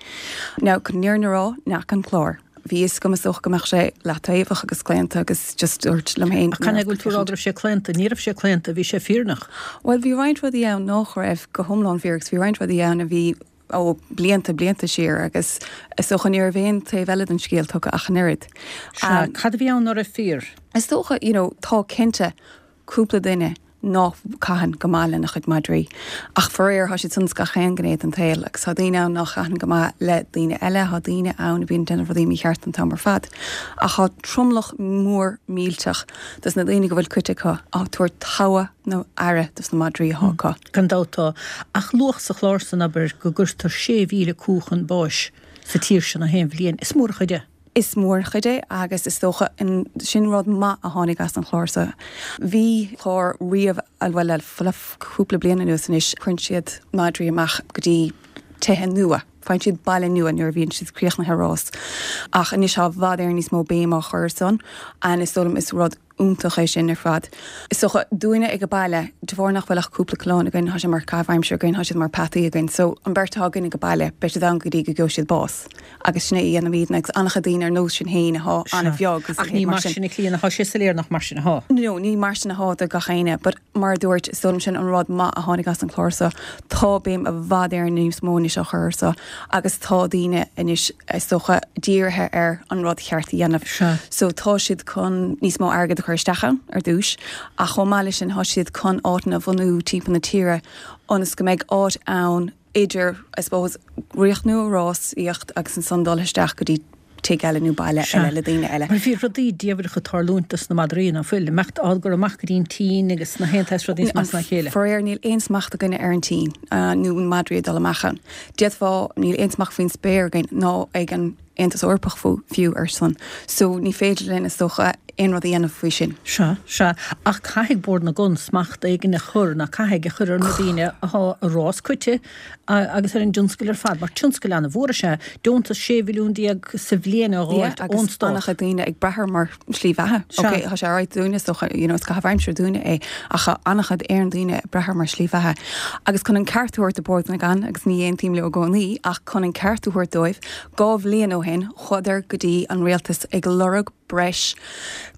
Now, chun an fhírinne a rá, ní fhaca an clár. Bhí fhios agam is dócha go mbeadh sé leataobhach agus claonta agus just dúirt liom féin Ach canathaobh go bhfuil tú ag rá go raibh sé claonta? Ní raibh sé claonta, bhí sé fírinneach. Bhuel, bhí roinnt rudaí ann nách raibh go hiomlán fíor agus bhí roinnt rudaí ann a bhí ó blianta, blianta siar agus is dócha ní raibh aon taobh eile den scéal tugtha ach an oiread. Sea, cad a bhí ann ná raibh fíor? Is dócha, you know, tá cinnte cúpla duine ná caitheann go maith lena chuid madraí ach faraor tá siad san ins gach aon ghné den tsaol agus tá daoine ann ná chaitheann go maith le daoine eile, tá daoine ann a bhíonn ag déanamh rudaí mícheart an t-am ar fad ach tá tromlach mór millteach dos na daoine go bhfuil coite acu á tabhairt togha na aire dos na madraí atá acu. Gan dabht tá. Ach luadh sa chlár san, abair, go gcuirtear 6,000 cú chun báis sa tír seo na haon bhliain. Is mór an chuid é. Is mór an chuid é agus is dócha sin rud maith a tháinig as an chlár so. Bhí clár riamh, bhuel le cúpla bliain anuas anois, cuireann siad madraí amach go dtí tithe nua. Faigheann siad baile nua nuair a bhíonn siad críochnaithe rás. Ach anois tá i bhfad Éireann níos mó béim á chur ar san and is dóigh liom is rud iontach é sin ar fad. Is dócha, dúinne ag an baile, de bharr nach bhfuil ach cúpla coileán againn, tá sé mar caitheamh aimsire againn, tá siad mar peataí againn. So, an bheirt atá againn ag an baile, beidh siad ann go dtí go gheobhaidh siad bás. Agus sin é a dhéanaimidne agus an-chuid daoine ar nós sinn féin atá an-bheag agus Ach ní mar sin a Chlíodhna, tá sé soiléir nach mar sin atá. No, ní mar sin atá do gach éinne, but mar a dúirt, is dóigh liom sin an rud maith a tháinig as an chlár so. Tá béim i bhfad Éireann níos mó anois á chur ar so agus tá daoine anois, is dócha, dírithe ar an rud cheart a dhéanamh. Sea. So tá siad chun níos mó airgid a chur isteach ann ar dtús ach chomh maith leis sin tá siad chun áiteanna a bhunú timpeall na tíre ionas go mbeidh áit ann idir, I suppose, ríochnú an rásaíocht agus ansan dul isteach go dtí tigh eile nó baile eile le daoine eile. Mar bhí rudaí diamhracha ag tarlúint dos na madraí, ná fuil? Imeacht á gcur amach go dtí an tSín agus na haon tsaghas rudaí is measa ná a chéile. Faraor níl aon smacht againne ar an tSín nó na madraí ag dul amach ann. D'fhéadfá, níl aon smacht faoin spéir againn ná ag an Aontas Eorpach fiú ar san. So ní féidir linn is dócha aon rud a dhéanamh faoi sin. Sea, sea. Ach caithfidh Bord na gCon smacht éigin a chur, ná caithfidh, a chur ar na daoine athá ag rás coite agus ar an dtionscal ar fad, mar tionscal an-mhór is ea é. Deontas 16 mhilliún sa bhliain á dh'fháilt ón stát. Yeah, agus an-chuid daoine ag brath air mar shlí bheatha. Sea. Ok, tá sé alright dúinne is dócha, you know, is caitheamh aimsire dúinne é, ach tá an-chuid Éireann daoine ag brath air mar shlí bheatha. Agus chun an ceart a thabhairt do Bord na gCon, agus ní aontaím leo i gcónaí, ach chun an ceart a thabhairt dóibh, 2 bhliain ó shin, chuadar go dtí an rialtas ag lorg breis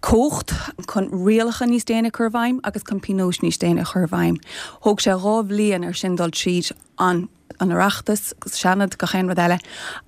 cumhacht chun rialacha níos déine a chur i bhfeidhm agus chun pionóis níos déine a chur i bhfeidhm. Thóg sé 2 bhliain ar sin dul tríd an an Oireachtas, Seanad, gach aon rud eile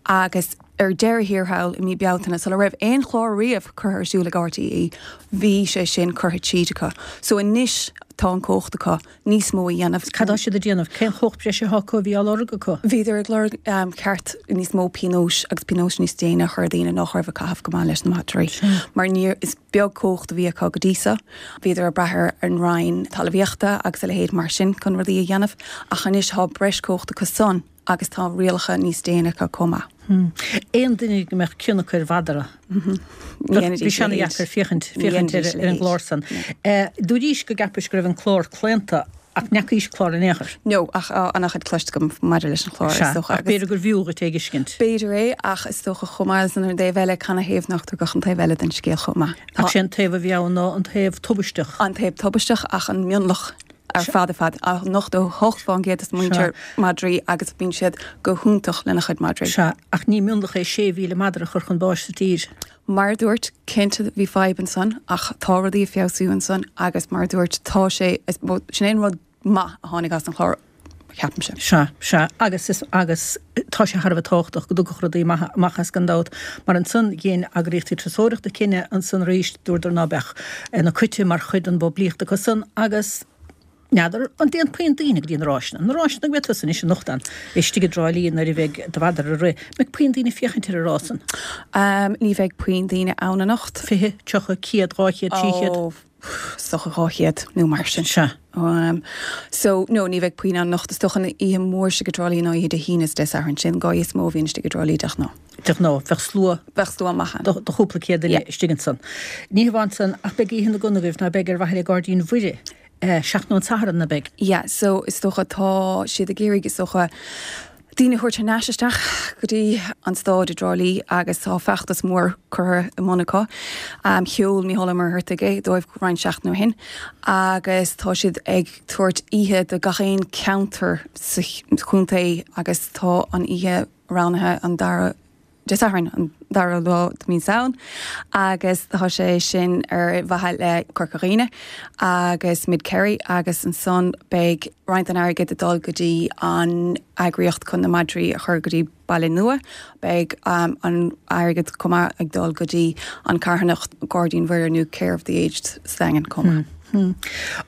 agus ar deireadh thiar thall i mí Bealtaine, sula raibh aon chlár riamh curtha ar siúl ag RTÉ, bhí sé sin curtha tríd acu. So anois tá an cumhacht acu níos mó a dhéanamh. Cad tá siad ag déanamh? Cén chumhacht breise atá acu a bhí á lorg acu? Bhíodar ag lorg ceart níos mó pionóis agus pionóis níos déine a chur ar dhaoine nách raibh ag caitheamh go maith leis na madraí. Mar ní, is beag cumhacht a bhí acu go dtí so. Bhíodar ag brath ar an Roinn Talmhaíochta agus a leithéid mar sin chun rudaí a dhéanamh ach anois tá breis cumhacht acu san agus tá rialacha níos déine acu chomh maith. Aon duine go mbeadh cion acu ar mhadra, bhí sé ana-dheacair féachaint féachaint ar an gclár san. Dúraís go gceapais go raibh an clár claonta ach n'fheacaís clár in aon chor. No, ach tá an-chuid cloiste agam maidir leis an chlár, is dócha. Ach b'fhéidir gur bhfiú dhuit é a fheiscint. B'fhéidir é, ach is dócha chomh maith leis an ar an dtaobh eile, canathaobh nach dtugadh an taobh eile den scéal chomh maith. Ach sé an taobh a bhí ann ná an taobh tubaisteach. An taobh tubaisteach ach an mionlach ar fad ar fad. 88% de muintir madraí agus bíonn siad go hiontach lena chuid madraí. Sea, ach ní mionlach é 6,000 madra a chur chun báis sa tír. Mar a dúirt, cinnte bhí fadhb ansan ach tá rudaí ag feabhsú ansan agus mar a dúirt, tá sé, sin é an rud maith a tháinig as an chlár, ceapaimse. Sea, sea, agus is, agus tá sé thar a bheith tábhachtach go dtiocfadh rudaí maithe amach as gan dabht, mar ansan dhein eagraíochtaí turasóireachta cinneadh ansan arís, dúradar ná beadh na coite mar chuid den bpoiblíocht acu san agus, N'fheadar an dtéann puinn daoine go dtí na ráiseanna. Na ráiseanna go mbeidh tusa anois anocht ann, istigh i dTrá Lí nuair a bheidh do mhadra ag rith. Mbeidh puinn daoine ag féachaint ar an rás san? Ní bheidh puinn daoine ann anocht. 20, 30, 100, 200, 300? Ó, is. dócha 200 nó mar sin. Sea. So, no, ní bheidh puinn ann anocht. Is dócha an oíche mhór istigh i dTrá Lí ná oíche Dé hAoine is Dé Sathairn. Sin an dá oíche is mó a bhíonn istigh i dTrá Lí de ghnáth. De ghnáth, bheadh slua. Bheadh slua maith ann. De chúpla céad duine istigh ansan. Ní hamháin san, ach beidh Oíche na gCon agaibh, ná beidh, ar mhaithe le Gairdín Mhuire, seachtain ón Satharn, ná beidh? Yeah, so is dócha tá siad ag iarraidh, is dócha, daoine a thabhairt thar n-ais isteach go dtí an staid i dTrá Lí agus tá feachtas mór curtha i mbun acu. Sheol Mícheál Ó Muircheartaigh é dóibh roinnt seachtain ó shin agus tá siad ag tabhairt oíche do gach aon ceantar sa chontae agus tá an oíche roghnaithe an dara Dé Sathairn, an dara lá de mí Samhain, agus tá sé sin ar mhaithe le Corca Dhuibhne agus Mid Kerry agus ansan beidh roinnt den airgead ag dul go dtí an eagraíocht chun na madraí a chur go dtí baile nua. Beidh an airgead chomh maith ag dul go dtí an carthanacht Gairdín Mhuire nó Care of the Aged sa Daingean chomh maith. An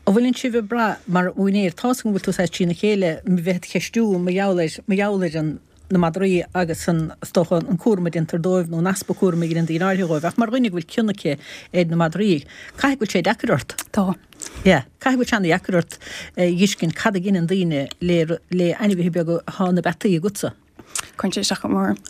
bhfuileann sibh ag brath mar úinéir, tá's agam go bhfuil tú saghas trína chéile, bheith ag ceistiú mar gheall ar, mar gheall ar an. na madraí agus an, is dócha, an cúram a déantar dóibh nó an easpa cúraim a dheineann daoine áirithe dhóibh. Ach mar dhuine go bhfuil cion aici ar na madraí, caithfidh go bhfuil sé deacair ort. Tá. Yeah. Caithfidh go bhfuil sé ana-dheacair ort a dh'fheiscint cad a dheineann daoine le, le ainmhithe beaga atá ina bpeataí agatsa. Cuireann sé isteach go mór orm.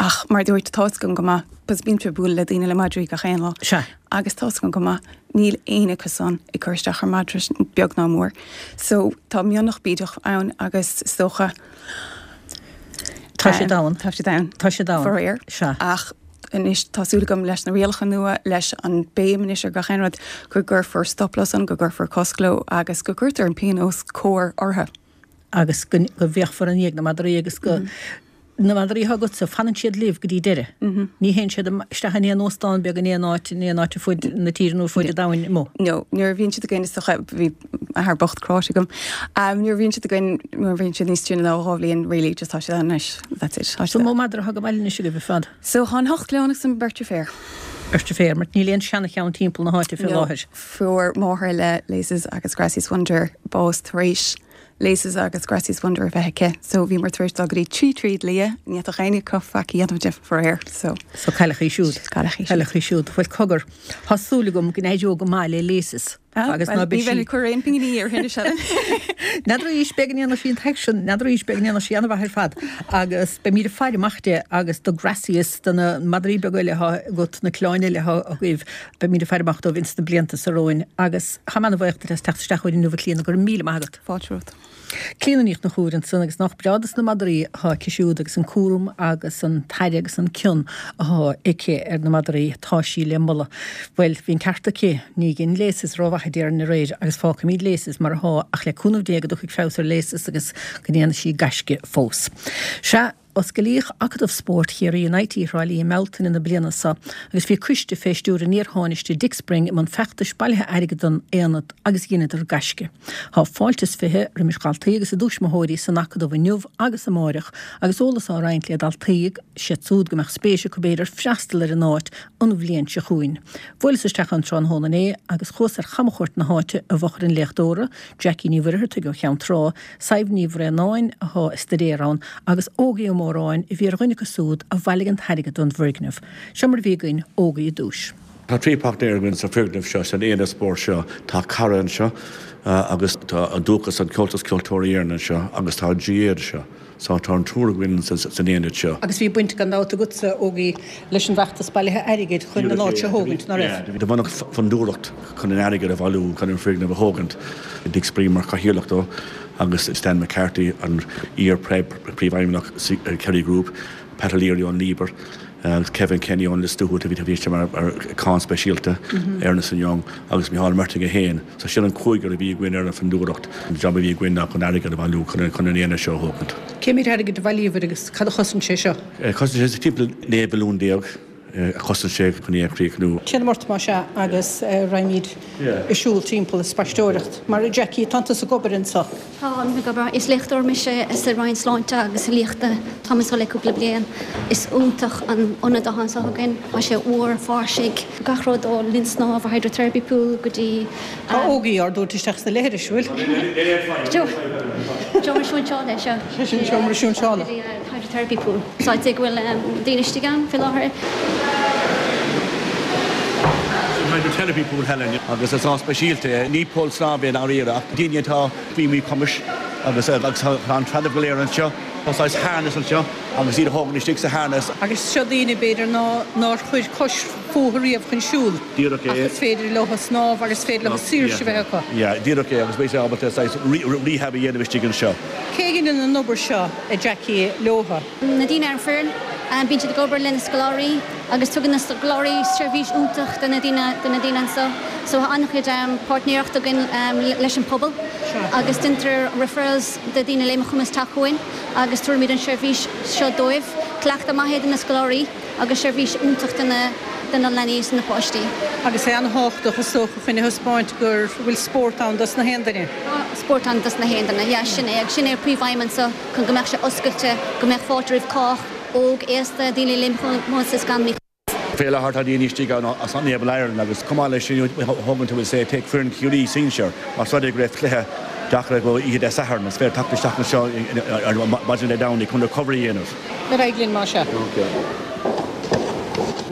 Ach mar a dúirt, tá's agam go maith, because bímse ag bualadh le daoine le madraí gach aon lá. Sea. Agus tá's agam go maith, níl éinne acu san ag cur isteach ar madra, beag ná mór. So, tá mianach bídeach ann agus is dócha, Tá siad ann. Tá siad ann. Tá siad ann. Faraor. Sea. Ach anois tá súil agam leis na rialacha nua, leis an béim anois ar gach aon rud, go gcuirfear stop leo san, go gcuirfear cosc leo agus go gcuirtear an pionós cóir orthu. Agus go bhféachfar i ndiaidh na madraí agus go na madraí atá agatsa, fanann siad libh go dtí deireadh. Ní théann siad isteach in aon óstán beag in aon áit, in aon áit ar fud na tíre nó ar fud an domhain amuigh. No, nuair a bhíonn siad againn is dócha, bhí athair bocht cráite agam, nuair a bhíonn siad againn, nuair a bhíonn siad níos sine ná 2 bhliain really, just tá siad ann anois, that's it. Tá So mó madra atá ag baile anois agaibh ar fad? So tá an ocht gclann agus an bheirt deirféar. Beirt deirféar, mar níl aon seana-cheann timpeall na háite fé No, láthair. fuair máthair le Laces agus Gracie's Wonder bás tar éis Laces agus Gracie's Wonder a bheith aici so bhíomar tar éis dul go dtí 3 tríd lia, ní fhéadfadh éinne acu faic a dhéanamh di, faraor, so. So cailleadh í siúd. Cailleadh í siúd. Cailleadh í siúd. Bhuel cogar, tá súil agam go n-éireoidh go maith le Laces. Ah, agus ná beidh sí. Ní bheinn ag cur aon pinginí ar thine Helen. N'fheadar arís, b'fhéidir go ndéanfaidh sí an t-aicsean, n'fheadar arís, b'fhéidir go ndéanfaidh sí an-mhaith ar fad. Agus beimid ag faire amach di agus do Gracie is do na madraí beaga eile atá agat, na clann eile atá agaibh, beimid ag faire amach dóibh ins na blianta so romhainn. Agus tá mé ana-bhuíoch duit as teacht isteach chugainn inniu a Clíona, go raibh míle maith agat. Fáilte romhat. Clíona Ní Chonchúir ansan agus nách breá dos na madraí atá aici siúd agus an cúram agus an t-aire agus an cion atá aici ar na madraí, tá sí le moladh. Bhuel, bhí an ceart aici, ní dhein Laces rómhaith a déarfainn aréir agus fágfaimid Laces mar atá ach le cúnamh Dé go dtiocfaidh feabhas ar Laces agus go ndéanfaidh sí gaisce fós. Sea. Osclaíodh Acadamh Spóirt Chiarraí in IT Thrá Lí i mBealtaine na bliana seo agus bhí coiste fé stiúir an iar-Thánaiste Dick Spring i mbun feachtais bailithe airgid don aonad agus dheineadar gaisce. Tá fáilte is 20 roimis dhaltaí agus a dtuismitheoirí san Acadamh inniu agus amáireach agus eolas á roinnt le daltaí agus iad súd go mbeadh spéis acu b'fhéidir freastal ar an áit an bhliain seo chugainn. Bhuaileas isteach ann tráthnóna inné agus chuas ar chamchuairt na háite i bhfochair an léachtóra, Jackie Ní Mhuircheartaigh ó Cheann Trá, Sadhbh Ní Bhraonáin, athá ag staidéar ann, agus Ógie Ó Móráin, a bhí ar dhuine acu súd a bhailigh an t-airgead don bhfoirgneamh. Seo mar a bhí againn Ógie i dtúis. Tá trí páirtnéir againn sa foirgneamh seo, san aonad spóirt seo. Tá Cara anseo agus tá an Dúchas, an Comhaltas Ceoltóirí Éireann anseo agus tá an GAA anseo. So tá an triúr againn san aonad seo. Agus bhí baint gan dabht agatsa, Ógie, leis an bhfeachtas bailithe airgid chun an áit seo a thógaint, ná raibh? Do bunaíodh fondúireacht chun an airgead a bhailiú chun an foirgneamh a thógaint. Dick Spring mar chathaoirleach dó agus Stan McCarthy, an iar-phríomhfheidhmeannach Kerry Group, Pat O'Leary ón Liber agus Kevin Kenny ón Lios Tuathail a bhí mar aíonna speisialta, Ernest and Young agus Micheál Martin é féin. So sin an cúigear a bhí againn ar an bhfondúireacht. An job a bhí againn ná chun airgead a bhailiú chun an aonad seo a thógaint. Cé méid airgid a bhailíobhair agus cad a chosain sé seo? Chosain sé timpeall 19 mhilliún a chosain sé chun é a chríochnú. Téanam ort más ea agus raghaimid ag siúl timpeall ag spaisteoireacht. Mar a Jackie, tánn tusa ag obair anso. Táim ag obair. Is léachtóir mise sa Roinn Sláinte agus Liachta. Táim anseo le cúpla bliain. Is iontach an ionad atá anseo againn. Tá sé úr, fairsing. Gach rud ó linn snámha, hydrotherapy pool, go dtí. Tá Ógie ár dtabhairt isteach sna leithris, bhfuil? Seomra siúinseála é seo. Sé sin seomra siúinseála. Hydrotherapy pool. So I'd say go bhfuil daoine istigh ann faoi láthair. Hydrotherapy Pool Helen agus is áit speisialta é. Ní poll snámha é i ndáiríre ach daoine atá faoi mhíchumais agus agus tá an trealamh go léir anseo. Tá saghas harness anseo agus iad a thógaint istigh sa harness. Agus seo daoine b'fhéidir ná nár chuir cois fúthu riamh chun siúl Díreach é. ach is féidir leo snámh agus is féidir leo saoirse a bheith acu. Yeah, díreach é agus beidh sé ábalta saghas rehab a dhéanamh istigh anseo. Cé a dheineann an obair seo, a Jackie, leotha? Na daoine ar an foireann, bíonn siad ag obair le na scoláirí agus tugann na scoláirí seirbhís iontach do na daoine do na daoine anseo. So tá an-chuid páirtnéireacht againn leis an pobal agus déantar referrals do daoine le míchumas teacht chugainn agus tabhairimid an seirbhís seo dóibh. Cleachtadh maith é do na scoláirí agus seirbhís iontach do na do na leanaí is na páistí. Agus é an-thábhachtach is dócha chun a thaispeáint go bhfuil spórt ann dos na haon duine. Tá spórt ann dos na haon duine, yeah, sin é agus sin é an príomhaidhm anseo. chun go mbeadh sé oscailte, go mbeadh fáilte roimh chách, óg, aosta, daoine le míchumas is gan míchumas. Fé láthair tá daoine istigh ann as Enable Ireland agus chomh maith leis sin thógann tú say take foireann Chiarraí sinsir más rud é go raibh cluiche deacair acu oíche Dé Sathairn is féidir teacht isteach anseo ar maidin Dé Domhnaigh chun recovery a dhéanamh. Ar aghaidh linn más ea.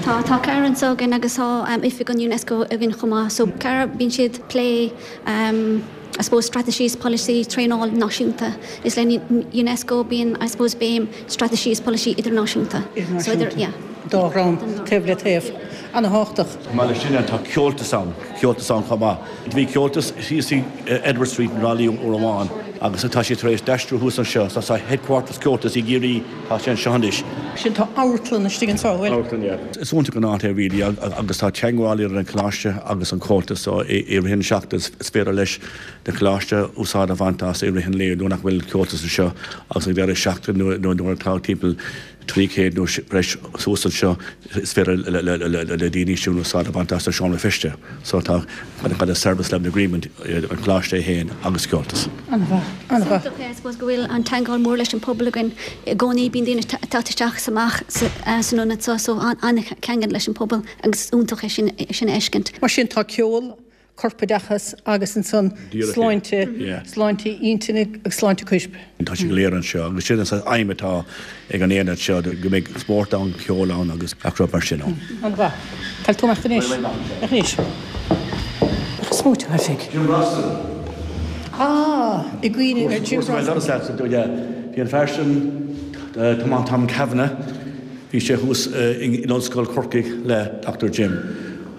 Tá, tá Cara anseo againn agus tá oifig an Unesco againn chomh maith. So Cara, bíonn siad plé I suppose straitéisí is polasaí traenáil náisiúnta. Is le Unesco bíonn I suppose béim straitéisí is polasaí idirnáisiúnta. So idir, yeah. Dá dhream, taobh le taobh. Ana-thábhachtach. Chomh maith leis sin tá Comhaltas ann, Comhaltas ann chomh maith. Bhí Comhaltas thíos i Edward Street i dTrá Lí uair amháin agus tá siad tar éis d'aistriú thuas anseo. So tá headquarters Comhaltas i gCiarraí, tá sé anseo anois. Sin tá amharclann istigh anseo, an bhfuil? Amharclann, yeah. Is iontach an áit é really agus tá teagmháil idir an Coláiste agus an Comhaltas so i rith an seachtain is féidir leis na Coláiste úsáid a bhaint as i rith an lae nuair nach bhfuil Comhaltas anseo agus ag deireadh seachtaine nuair atá timpeall 300 nó breis suas anseo is féidir le daoine sin úsáid a bhaint as an seomra feiste so tá kind of service level agreement idir an Coláiste é féin agus Comhaltas. An-mhaith, an-mhaith. Is iontach é, I suppose, go bhfuil an teagmháil mór leis an pobal againn i gcónaí. Bíonn daoine ag teacht isteach is amach san ionad seo so an-cheangal leis an pobal agus is iontach é sin a fheiscint. Mar sin tá ceol, corpoideachas agus ansan sláinte, sláinte intinne agus sláinte coirp. Tá sé go léir anseo agus sin an aidhm atá ag an aonad seo, go mbeidh spórt ann, ceol ann agus gach rud mar sin ann. An-mhaith. Caithfidh tú imeacht anois. Anois. Ach is mó tú oifig. Jim Brosnan. Ah, i gcuimhne ar Jim Brosnan. Bhí an fear sin, Tom Kavanagh, bhí sé thuas in Ollscoil Chorcaigh le Dr Jim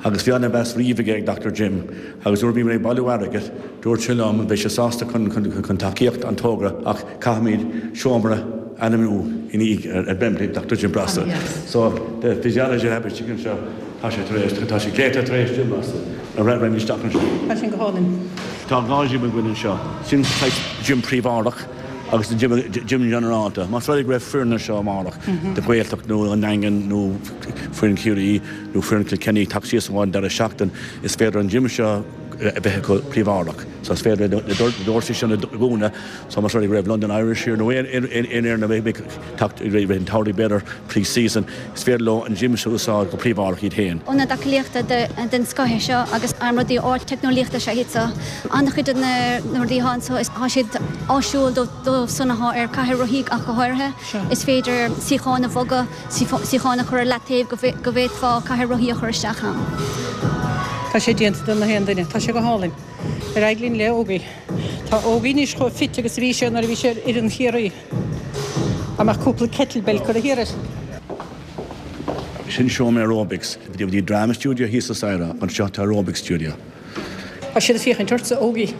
agus bhí an-mheas riamh aige ag Dr Jim agus nuair a bhí mé ag bailiú airgid dúirt sé liom beidh sé sásta chun tacaíocht an togra ach caithfimid seomra a ainmniú i ndiaidh ar memory Dr Jim Brosnan. So the physiology lab istigh anseo tá sé tar éis tá sé glaoite tar éis Jim Brosnan a raibh isteach anseo. Tá sin go hálainn. Tá 2 gym againn anseo. Sin saghas gym príobháideach agus an gym ginearálta. Más rud é go raibh foireann anseo amárach de Ghaeltacht nó an Daingean nó foireann Chiarraí nó foireann Kilkenny ag teacht síos an deireadh seachtain is féidir an gym seo a bheith acu príobháideach. So is féidir na doirse sin a dhúnadh so más rud é go raibh London Irish here nó aon fhoireann a bheidh ag teacht i rith an tsamhraidh b'fhéidir pre-season is féidir leo an gym seo a úsáid go príobháideach iad féin. Ionad aclaíochta den scoth é seo agus rudaí ardteicneolaíochta is ea iad seo. An-chuid de na rudaí atá anseo tá siad áisiúil dóibh san atá ar cathaoir rothaí ach go háirithe. Is féidir suíocháin a bhogadh, suíocháin a chur ar leataobh go bhféadfá cathaoir rothaí a chur isteach ann. Tá sé déanta do na haon duine. Tá sé go hálainn. Ar aghaidh linn le Ógie. Tá Ógie anois chomh fit agus a bhí sé nuair a bhí sé ar fhoireann Chiarraí. Dá mbeadh cúpla kettlebell curtha thiar air. Sin seomra aerobics. Bhí drama studio thíos sa staighre, anseo tá aerobics studio. Tá siad ag féachaint ortsa, Ógie.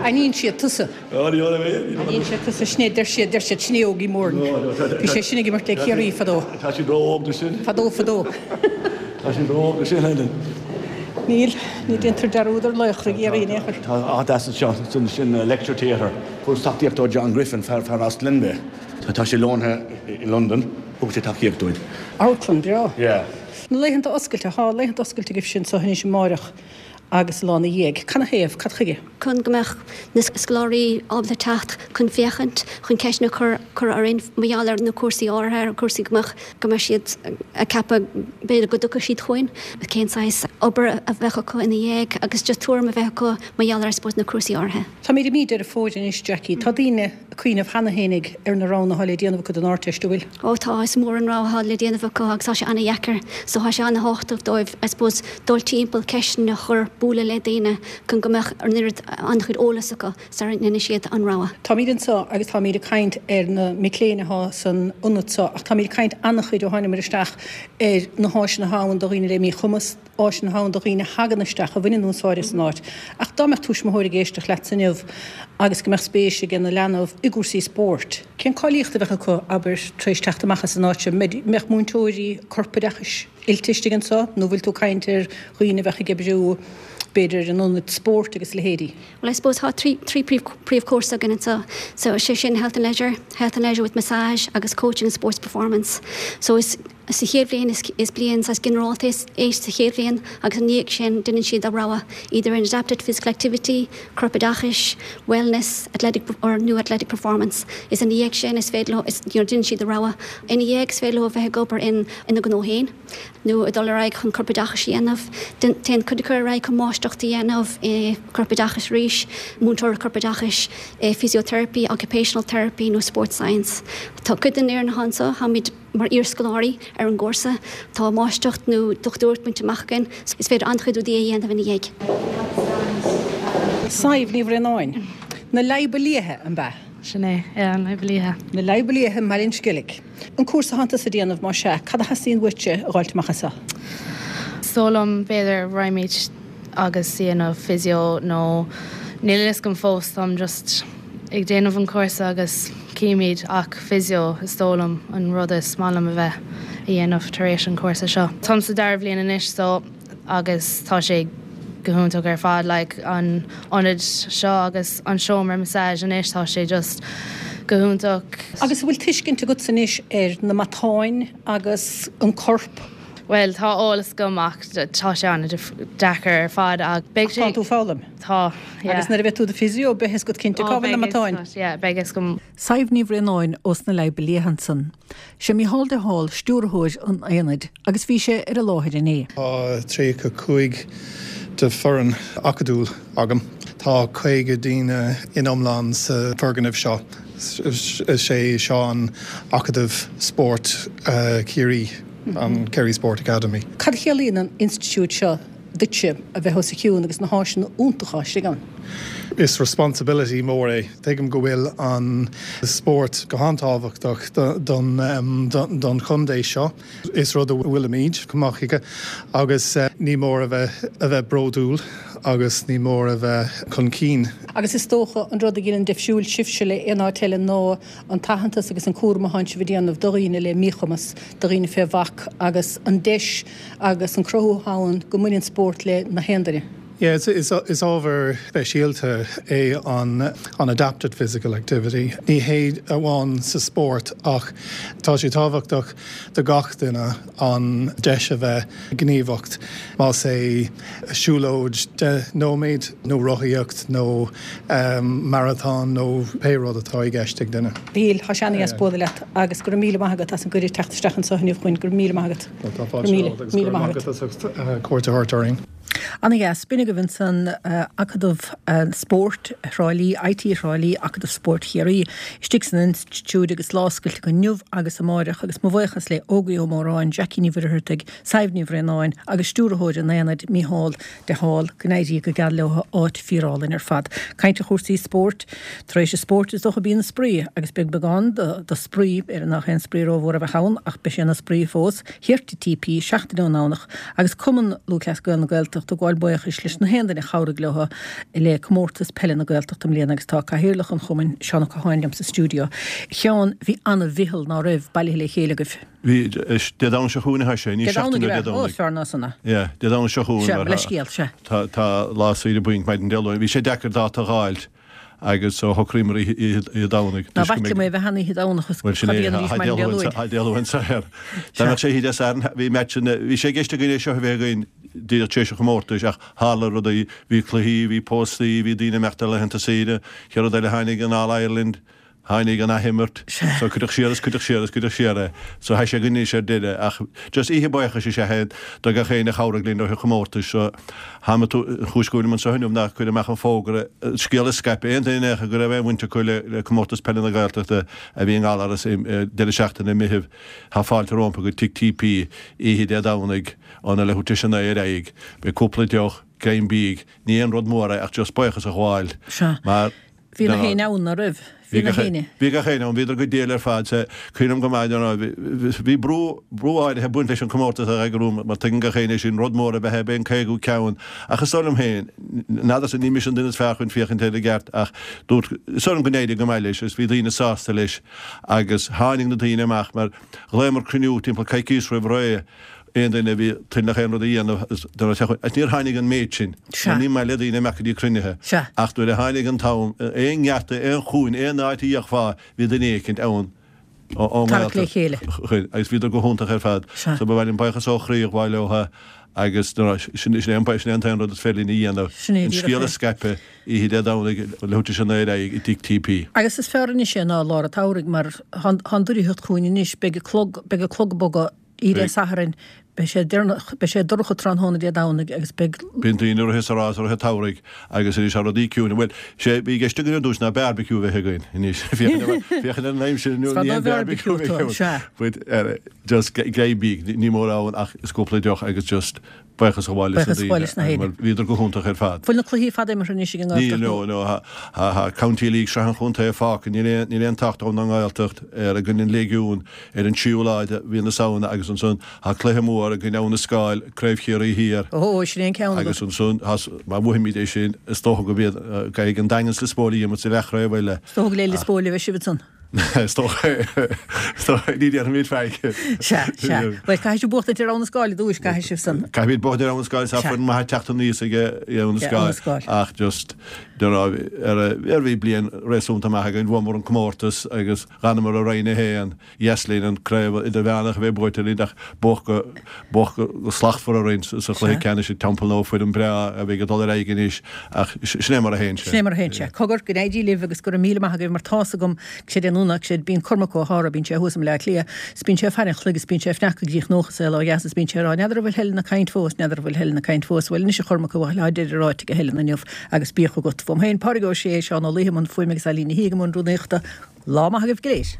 Aithníonn siad tusa. Aithníonn siad tusa. Sin é, deir siad, deir siad, sin é Ógie Moran. Bhí sé sin ag imirt le Ciarraí fadó. Tá siad ró-óg do sin. Fadó, fadó. Tá siad ró-óg do sin, Helen. Níl, ní déantar dearúd ar laochra Chiarraí in aon chor. Tá áit deas anseo, sin lecture theatre. Fuair tacaíocht ó John Griffin, fear as Glenbeigh. Tá sé lonnaithe i Londain. Thug sé tacaíocht dúinn. Amharclann breá. Yeah. Na laethanta oscailte, tá laethanta oscailte agaibhse anseo anois amáireach. agus an lá ina dhiaidh. Canathaobh? Cad chuige? Chun go mbeadh na scoláirí ábalta teacht chun féachaint, chun ceisteanna a chur chur orainn mar gheall ar na cúrsaí áirithe, ar chúrsaí go mbeadh go mbeadh siad ag ceapadh b'fhéidir go dtiocfadh siad chugainn, cén saghas obair a bheadh acu ina dhiaidh agus just tuairim a bheith acu mar gheall ar I suppose na cúrsaí áirithe. Táimid i mí Deireadh Fómhair anois, Jackie. Tá daoine ag cuimhneamh cheana fhéinig ar na roghanna atá le déanamh acu don Ardteist, an bhfuil? Ó tá, is mór an rogha atá le déanamh acu agus tá sé an-dheacair. So tá sé an-thábhachtach dóibh I suppose dul timpeall, ceisteanna a chur, bualadh le daoine chun go mbeadh an oiread, an-chuid eolas acu sara ndéanfaidh siad an rogha. Táimid anseo agus táimid ag caint ar na mic léinn atá san ionad seo ach táimid ag caint an-chuid ó tháingamar isteach ar na háiseanna atá ann do dhaoine le míchumas, áiseanna atá ann do dhaoine a thagann isteach, a bhaineann úsáid as an áit. Ach dá mbeadh tuismitheoir ag éisteacht leatsa inniu agus go mbeadh spéis ag ina leanbh i gcúrsaí spóirt, cén cáilíocht a bheadh acu, abair, tar éis teacht amach as an áit seo? Mbeadh múinteoirí corpoideachais oilte istigh anseo nó bhfuil tú ag caint ar dhaoine a bheadh ag oibriú, b'fhéidir, in ionaid spóirt agus a leithéidí? Well I suppose tá 3 príomhchúrsa againn anseo. So sé sin Health and Leisure, Health and Leisure with Massage agus Coaching and Sports Performance. So is sa chéad bhliain is is bliain saghas ginearálta é sa chéad bhliain agus ina dhiaidh sin déanann siad a rogha either in Adapted Physical Activity, Corpoideachais, Wellness, Athletic or nó Athletic Performance. Is ina dhiaidh sin is féidir leo is you know déanann siad a rogha. Ina dhiaidh is féidir leo a bheith ag obair in ina ngnó féin. nó ag dul ar aghaidh chun corpoideachais a dhéanamh. Téann cuid acu ar aghaidh chun máistreacht a dhéanamh i gcorpoideachas arís, múinteoireacht corpoideachais, physiotherapy, occupational therapy nó sports science. Tá cuid den fhoireann atá anseo, táimid mar iarscoláirí ar an gcúrsa, tá máistreacht nó dochtúireacht bainte amach againn, is féidir an-chuid rudaí a dhéanamh ina dhiaidh. Sadhbh Ní Bhraonáin, Na Leadhba Liatha, an b'ea? Sin é, yeah, Na Leadhba Liatha. Na Leadhba Liatha i mBaile an Sceilg. An cúrsa atánn tusa a déanamh, más ea, cad a theastaíonn uaitse a dh'fháilt amach as seo? Is dóigh liom, b'fhéidir, raghaimid agus déanamh physio nó níl a fhios agam fós, táim just ag déanamh an cúrsa agus címid ach physio is dóigh liom an rud is maith liom a bheith a dhéanamh tar éis an cúrsa seo. Táim sa dara bhliain anois so agus tá sé go hiontach ar fad like an ionad seo agus an seomra massage anois tá sé just go hiontach. Agus an bhfuil tuiscint agatsa anois ar na matáin agus an corp? Bhuel tá eolas agam ach tá sé an-deacair ar fad ach beidh sé. Ach tá tú ag foghlaim? Tá, yeah. Agus nuair a bheidh tú i do physio beidh fhios agat cinnte cá bhfuil na matáin? Yeah, beidh fhios agam. Sadhbh Ní Bhraonáin ós na Leadhba Liatha ansan. Sé Mícheál de Hál stiúrthóir an Aonaid agus bhí sé ar an láthair inné. Tá 35 de foireann acadúil agam. Tá 50 daoine in iomlán sa foirgneamh seo. Is é seo an Acadamh Spóirt Chiarraí, an Kerry Sport Academy. Cad a chiallaíonn an institiúid seo duitse a bheith os a chionn agus na háiseanna iontacha istigh ann? Is responsibility mór é. Tuigim go bhfuil an spórt go han-tábhachtach don chontae seo. Is rud a bhfuilimid go maith aige agus ní mór a bheith a bheith bródúil agus ní mór a bheith chun cinn. Agus is dócha an rud a dhéanann difriúil sibhse le aon áit eile ná an t-aitheantas agus an cúram atánn sibh a dhéanamh do dhaoine le míchumas, do dhaoine fé bhac agus an deis agus an cruthú atá ann go mbaineann spórt le na haon duine. Yeah, is ábhar speisialta é an adapted physical activity. Ní hé amháin sa spórt ach tá sé tábhachtach do gach duine an deis a bheith gníomhach, más é siúlóid 10 nóiméad nó rothaíocht nó maratón nó pé rud atá i gceist ag duine. Mhíchíl, tá sé ana-dheas bualadh leat agus go raibh míle maith agat as an gcuireadh teacht isteach anseo inniu chugainn. Go raibh míle maith agat. Tá fáilte romhat agus go raibh maith agat as ucht cuairt a thabhairt orainn. Ana-dheas. B'in agaibh ansan Acadamh Spóirt Thrá Lí, IT Thrá Lí, Acadamh Spóirt Chiarraí, istigh san institiúid agus lá oscailte acu inniu agus amáireach agus mo bhuíochas le Ógie Ó Móráin, Jackie Ní Mhuircheartaigh, Sadhbh Ní Bhraonáin agus stiúrthóir an Aonaid, Mícheál de Hál. Go n-éirí go geal leo, áit fíorálainn ar fad. Caint ar chúrsaí spóirt. Tar éis an spóirt is dócha bíonn an spraoi agus beidh beagán de spraoi, b'fhéidir nach aon spraoi rómhór a bheadh ann ach beidh sé ina spraoi fós, thiar sa TP seachtain ón nDomhnach agus Cumann Lúthchleas Gael na Gaeltachta ag gabháil buíochais leis na haon duine a chabhraigh leo le Comórtas Peile na Gaeltachta i mbliana agus tá Cathaoirleach an Chumainn, Seán Ó Catháin liom sa stiúideo. A Sheáin, bhí ana-mheitheal, ná raibh, bailithe le chéile agaibh? Bhí, Dé Domhnaigh seo chugainn atá sé, ní Dé seachtain Domhnaigh ó Dé ab ea? Ó, Domhnaigh. is fearr ná san é. Yeah, Dé Domhnaigh seo chugainn Sea, mar mo leithscéal, sea. tá, tá lá saoire bainc maidin Dé Luain. Bhí sé deacair dáta a dh'fháilt agus so shocraíomar oíche, oíche, oíche Domhnaigh. Ná bac liom é a bheith ann oíche Domhnach is Bhuel sin cad a é, dhéanfaidís tá maidin Dé Dé Luain, Luain. tá Dé Luain saor. Dá Sea. mbeadh sé oíche Dé Sathairn, bhí match, bhí sé i gceist againn é seo a bheith againn. díreach tar éis an chomórtais ach tharla rudaí, bhí cluichí, bhí póstaí, bhí daoine ag imeacht ar laethanta saoire, chéad rud eile tháinig an All Ireland, tháinig an athimirt, so cuireadh siar is cuireadh siar is cuireadh siar é. So tá sé againn anois ar deireadh ach just oíche buíochais is ea é do gach éinne a chabhraigh linn i rith an chomórtais so tháim ag an chúis go bhfuilim anseo inniu ná cur amach an fógra, an scéal a scaipeadh, aon duine go raibh aon bhaint acu le Comórtas Peile na Gaeltachta a bhí i nGallaras deireadh seachtaine i Meitheamh. Tá fáilte rompu go Tigh TP oíche Dé Domhnaigh óna leathuair tar éis a 9 ar aghaidh. Beidh cúpla deoch, greim bídh, ní aon rud mór é ach just buíochas a ghabháil mar Bhí na héinne ann, ná raibh? Bhí na héinne. Bhí gach éinne ann, bhíodar go diail ar fad. Sea, cuimhním go maith, you know, bhí brú, brú áirithe ag baint leis an comórtas a eagrú mar tuigeann gach éinne sin, rud mór ab ea é, b'é an caogú ceann. Ach is dóigh liom féin, n'fheadarsa, ní mise an duine is fearr chun féachaint air i gceart ach dúirt, is dóigh liom go n-éirigh go maith leis agus bhí daoine sásta leis. Agus tháinig na daoine amach mar ghlaomar cruinniú timpeall coicís roimh ré, aon duine a bhí toilteanach aon rud a dhéanamh agus níor tháinig an méid sin mar ní maith le daoine imeacht go dtí cruinnithe. Ach nuair a tháinig an t-am, aon ngeata, aon chúinne, aon áit a fhéachfá, bhí duine éicint ann ón nGaeltacht agus bhíodar go hiontach ar fad. So ba mhaith liom buíochas ó chroí a ghabháil leo agus sin é an t-aon rud is féidir linn a dhéanamh, an scéal a scaipeadh. Oíche Dé Domhnaigh, leathuair tar éis a 9 ar aghaidh i dTigh TP. Agus is fearr anois é ná i lár an tsamhraidh mar tá an doicheall ag teacht chugainn anois, beidh an clog, beidh an clog ag bogadh oíche Dé Sathairn, beidh sé deireanach, beidh sé dorcha tráthnóna Dé Domhnaigh agus beidh. Bíonn daoine ag rith is ag rá i rith an tsamhraidh agus anois tá rudaí ciúin. Bhuel, sé bhí i gceist againn ar dtús ná beárbaiciú a bheith againn anois. Féachaint ar an aimsir inniu ní aon bheárbaiciú a bheidh ann. But just greim bídh, ní mórán ach is cúpla deoch agus just Buíochas a ghabháil leis na daoine mar bhíodar go hiontach ar fad. Bhfuil na cluichí ar fad imeartha anois ag an nGaeltacht? Níl, no, no. Tá County League, Sraith an Chontae fágtha. Níl aon, níl aon trácht ón nGaeltacht ar i gcoinne an Léigiún ar an tríú lá de mhí na Samhna agus ansan tá cluiche mór i gcoinne Abha na Scáil, Craobh Chiarraí Thiar. Ó, sin é an ceann agat. Agus ansan tá, má bhuafaimid é sin, is dócha go mbíonn, caithfidh an Daingean 's Lios Póil a imirt sa leathchraobh eile. Is dócha go le Lios Póil a bheidh sibh ansan. Is dócha é. Is dócha é. Ní déarfaimid faic. Sea, sea. Bhuel, caithfidh sibh buachtaint ar Abha na Scáil i dtúis, caithfidh sibh san. Caithfimid buachtaint ar Abha na Scáil, tá foireann maith ag teacht aníos ag Abha na Scáil. Ach just, ar ar bhí bliain réasúnta maith againn, bhuamar an comórtas agus d'fhanamar i Roinn 1. Dheas linn an craobh idirmheánach a bheith buaite linn ach buadh go buadh go slachtmhar orainn sa chluiche ceannais i Templenoe, foireann breá a bheidh ag dul ar aghaidh anois ach sin é mar a théann sé. Sin é mar a théann sé. Cogar, go n-éirí libh agus go raibh míle maith agaibh mar tá's agam céard é nó céard, bíonn Cormac Ó hEára, bíonn sé thuas i mBleá Cliath is bíonn sé ag faire an chloig is bíonn sé ag fneacadh go dtí an chnóch sa saol ó dheas is bíonn sé ag rá n'fheadar an bhfuil Helen ag caint fós, n'fheadar an bhfuil Helen ag caint fós, bhuel anois a Chormaic bhuel tá deireadh ráite ag Helen inniu agus bíodh agat. Uaim féin, Pádraig Ó Sé, Seán Ó Laoithe i mbun fuaime agus Eileen Ní hIaga i mbun rúnaíochta. Lá maith agaibh go léir.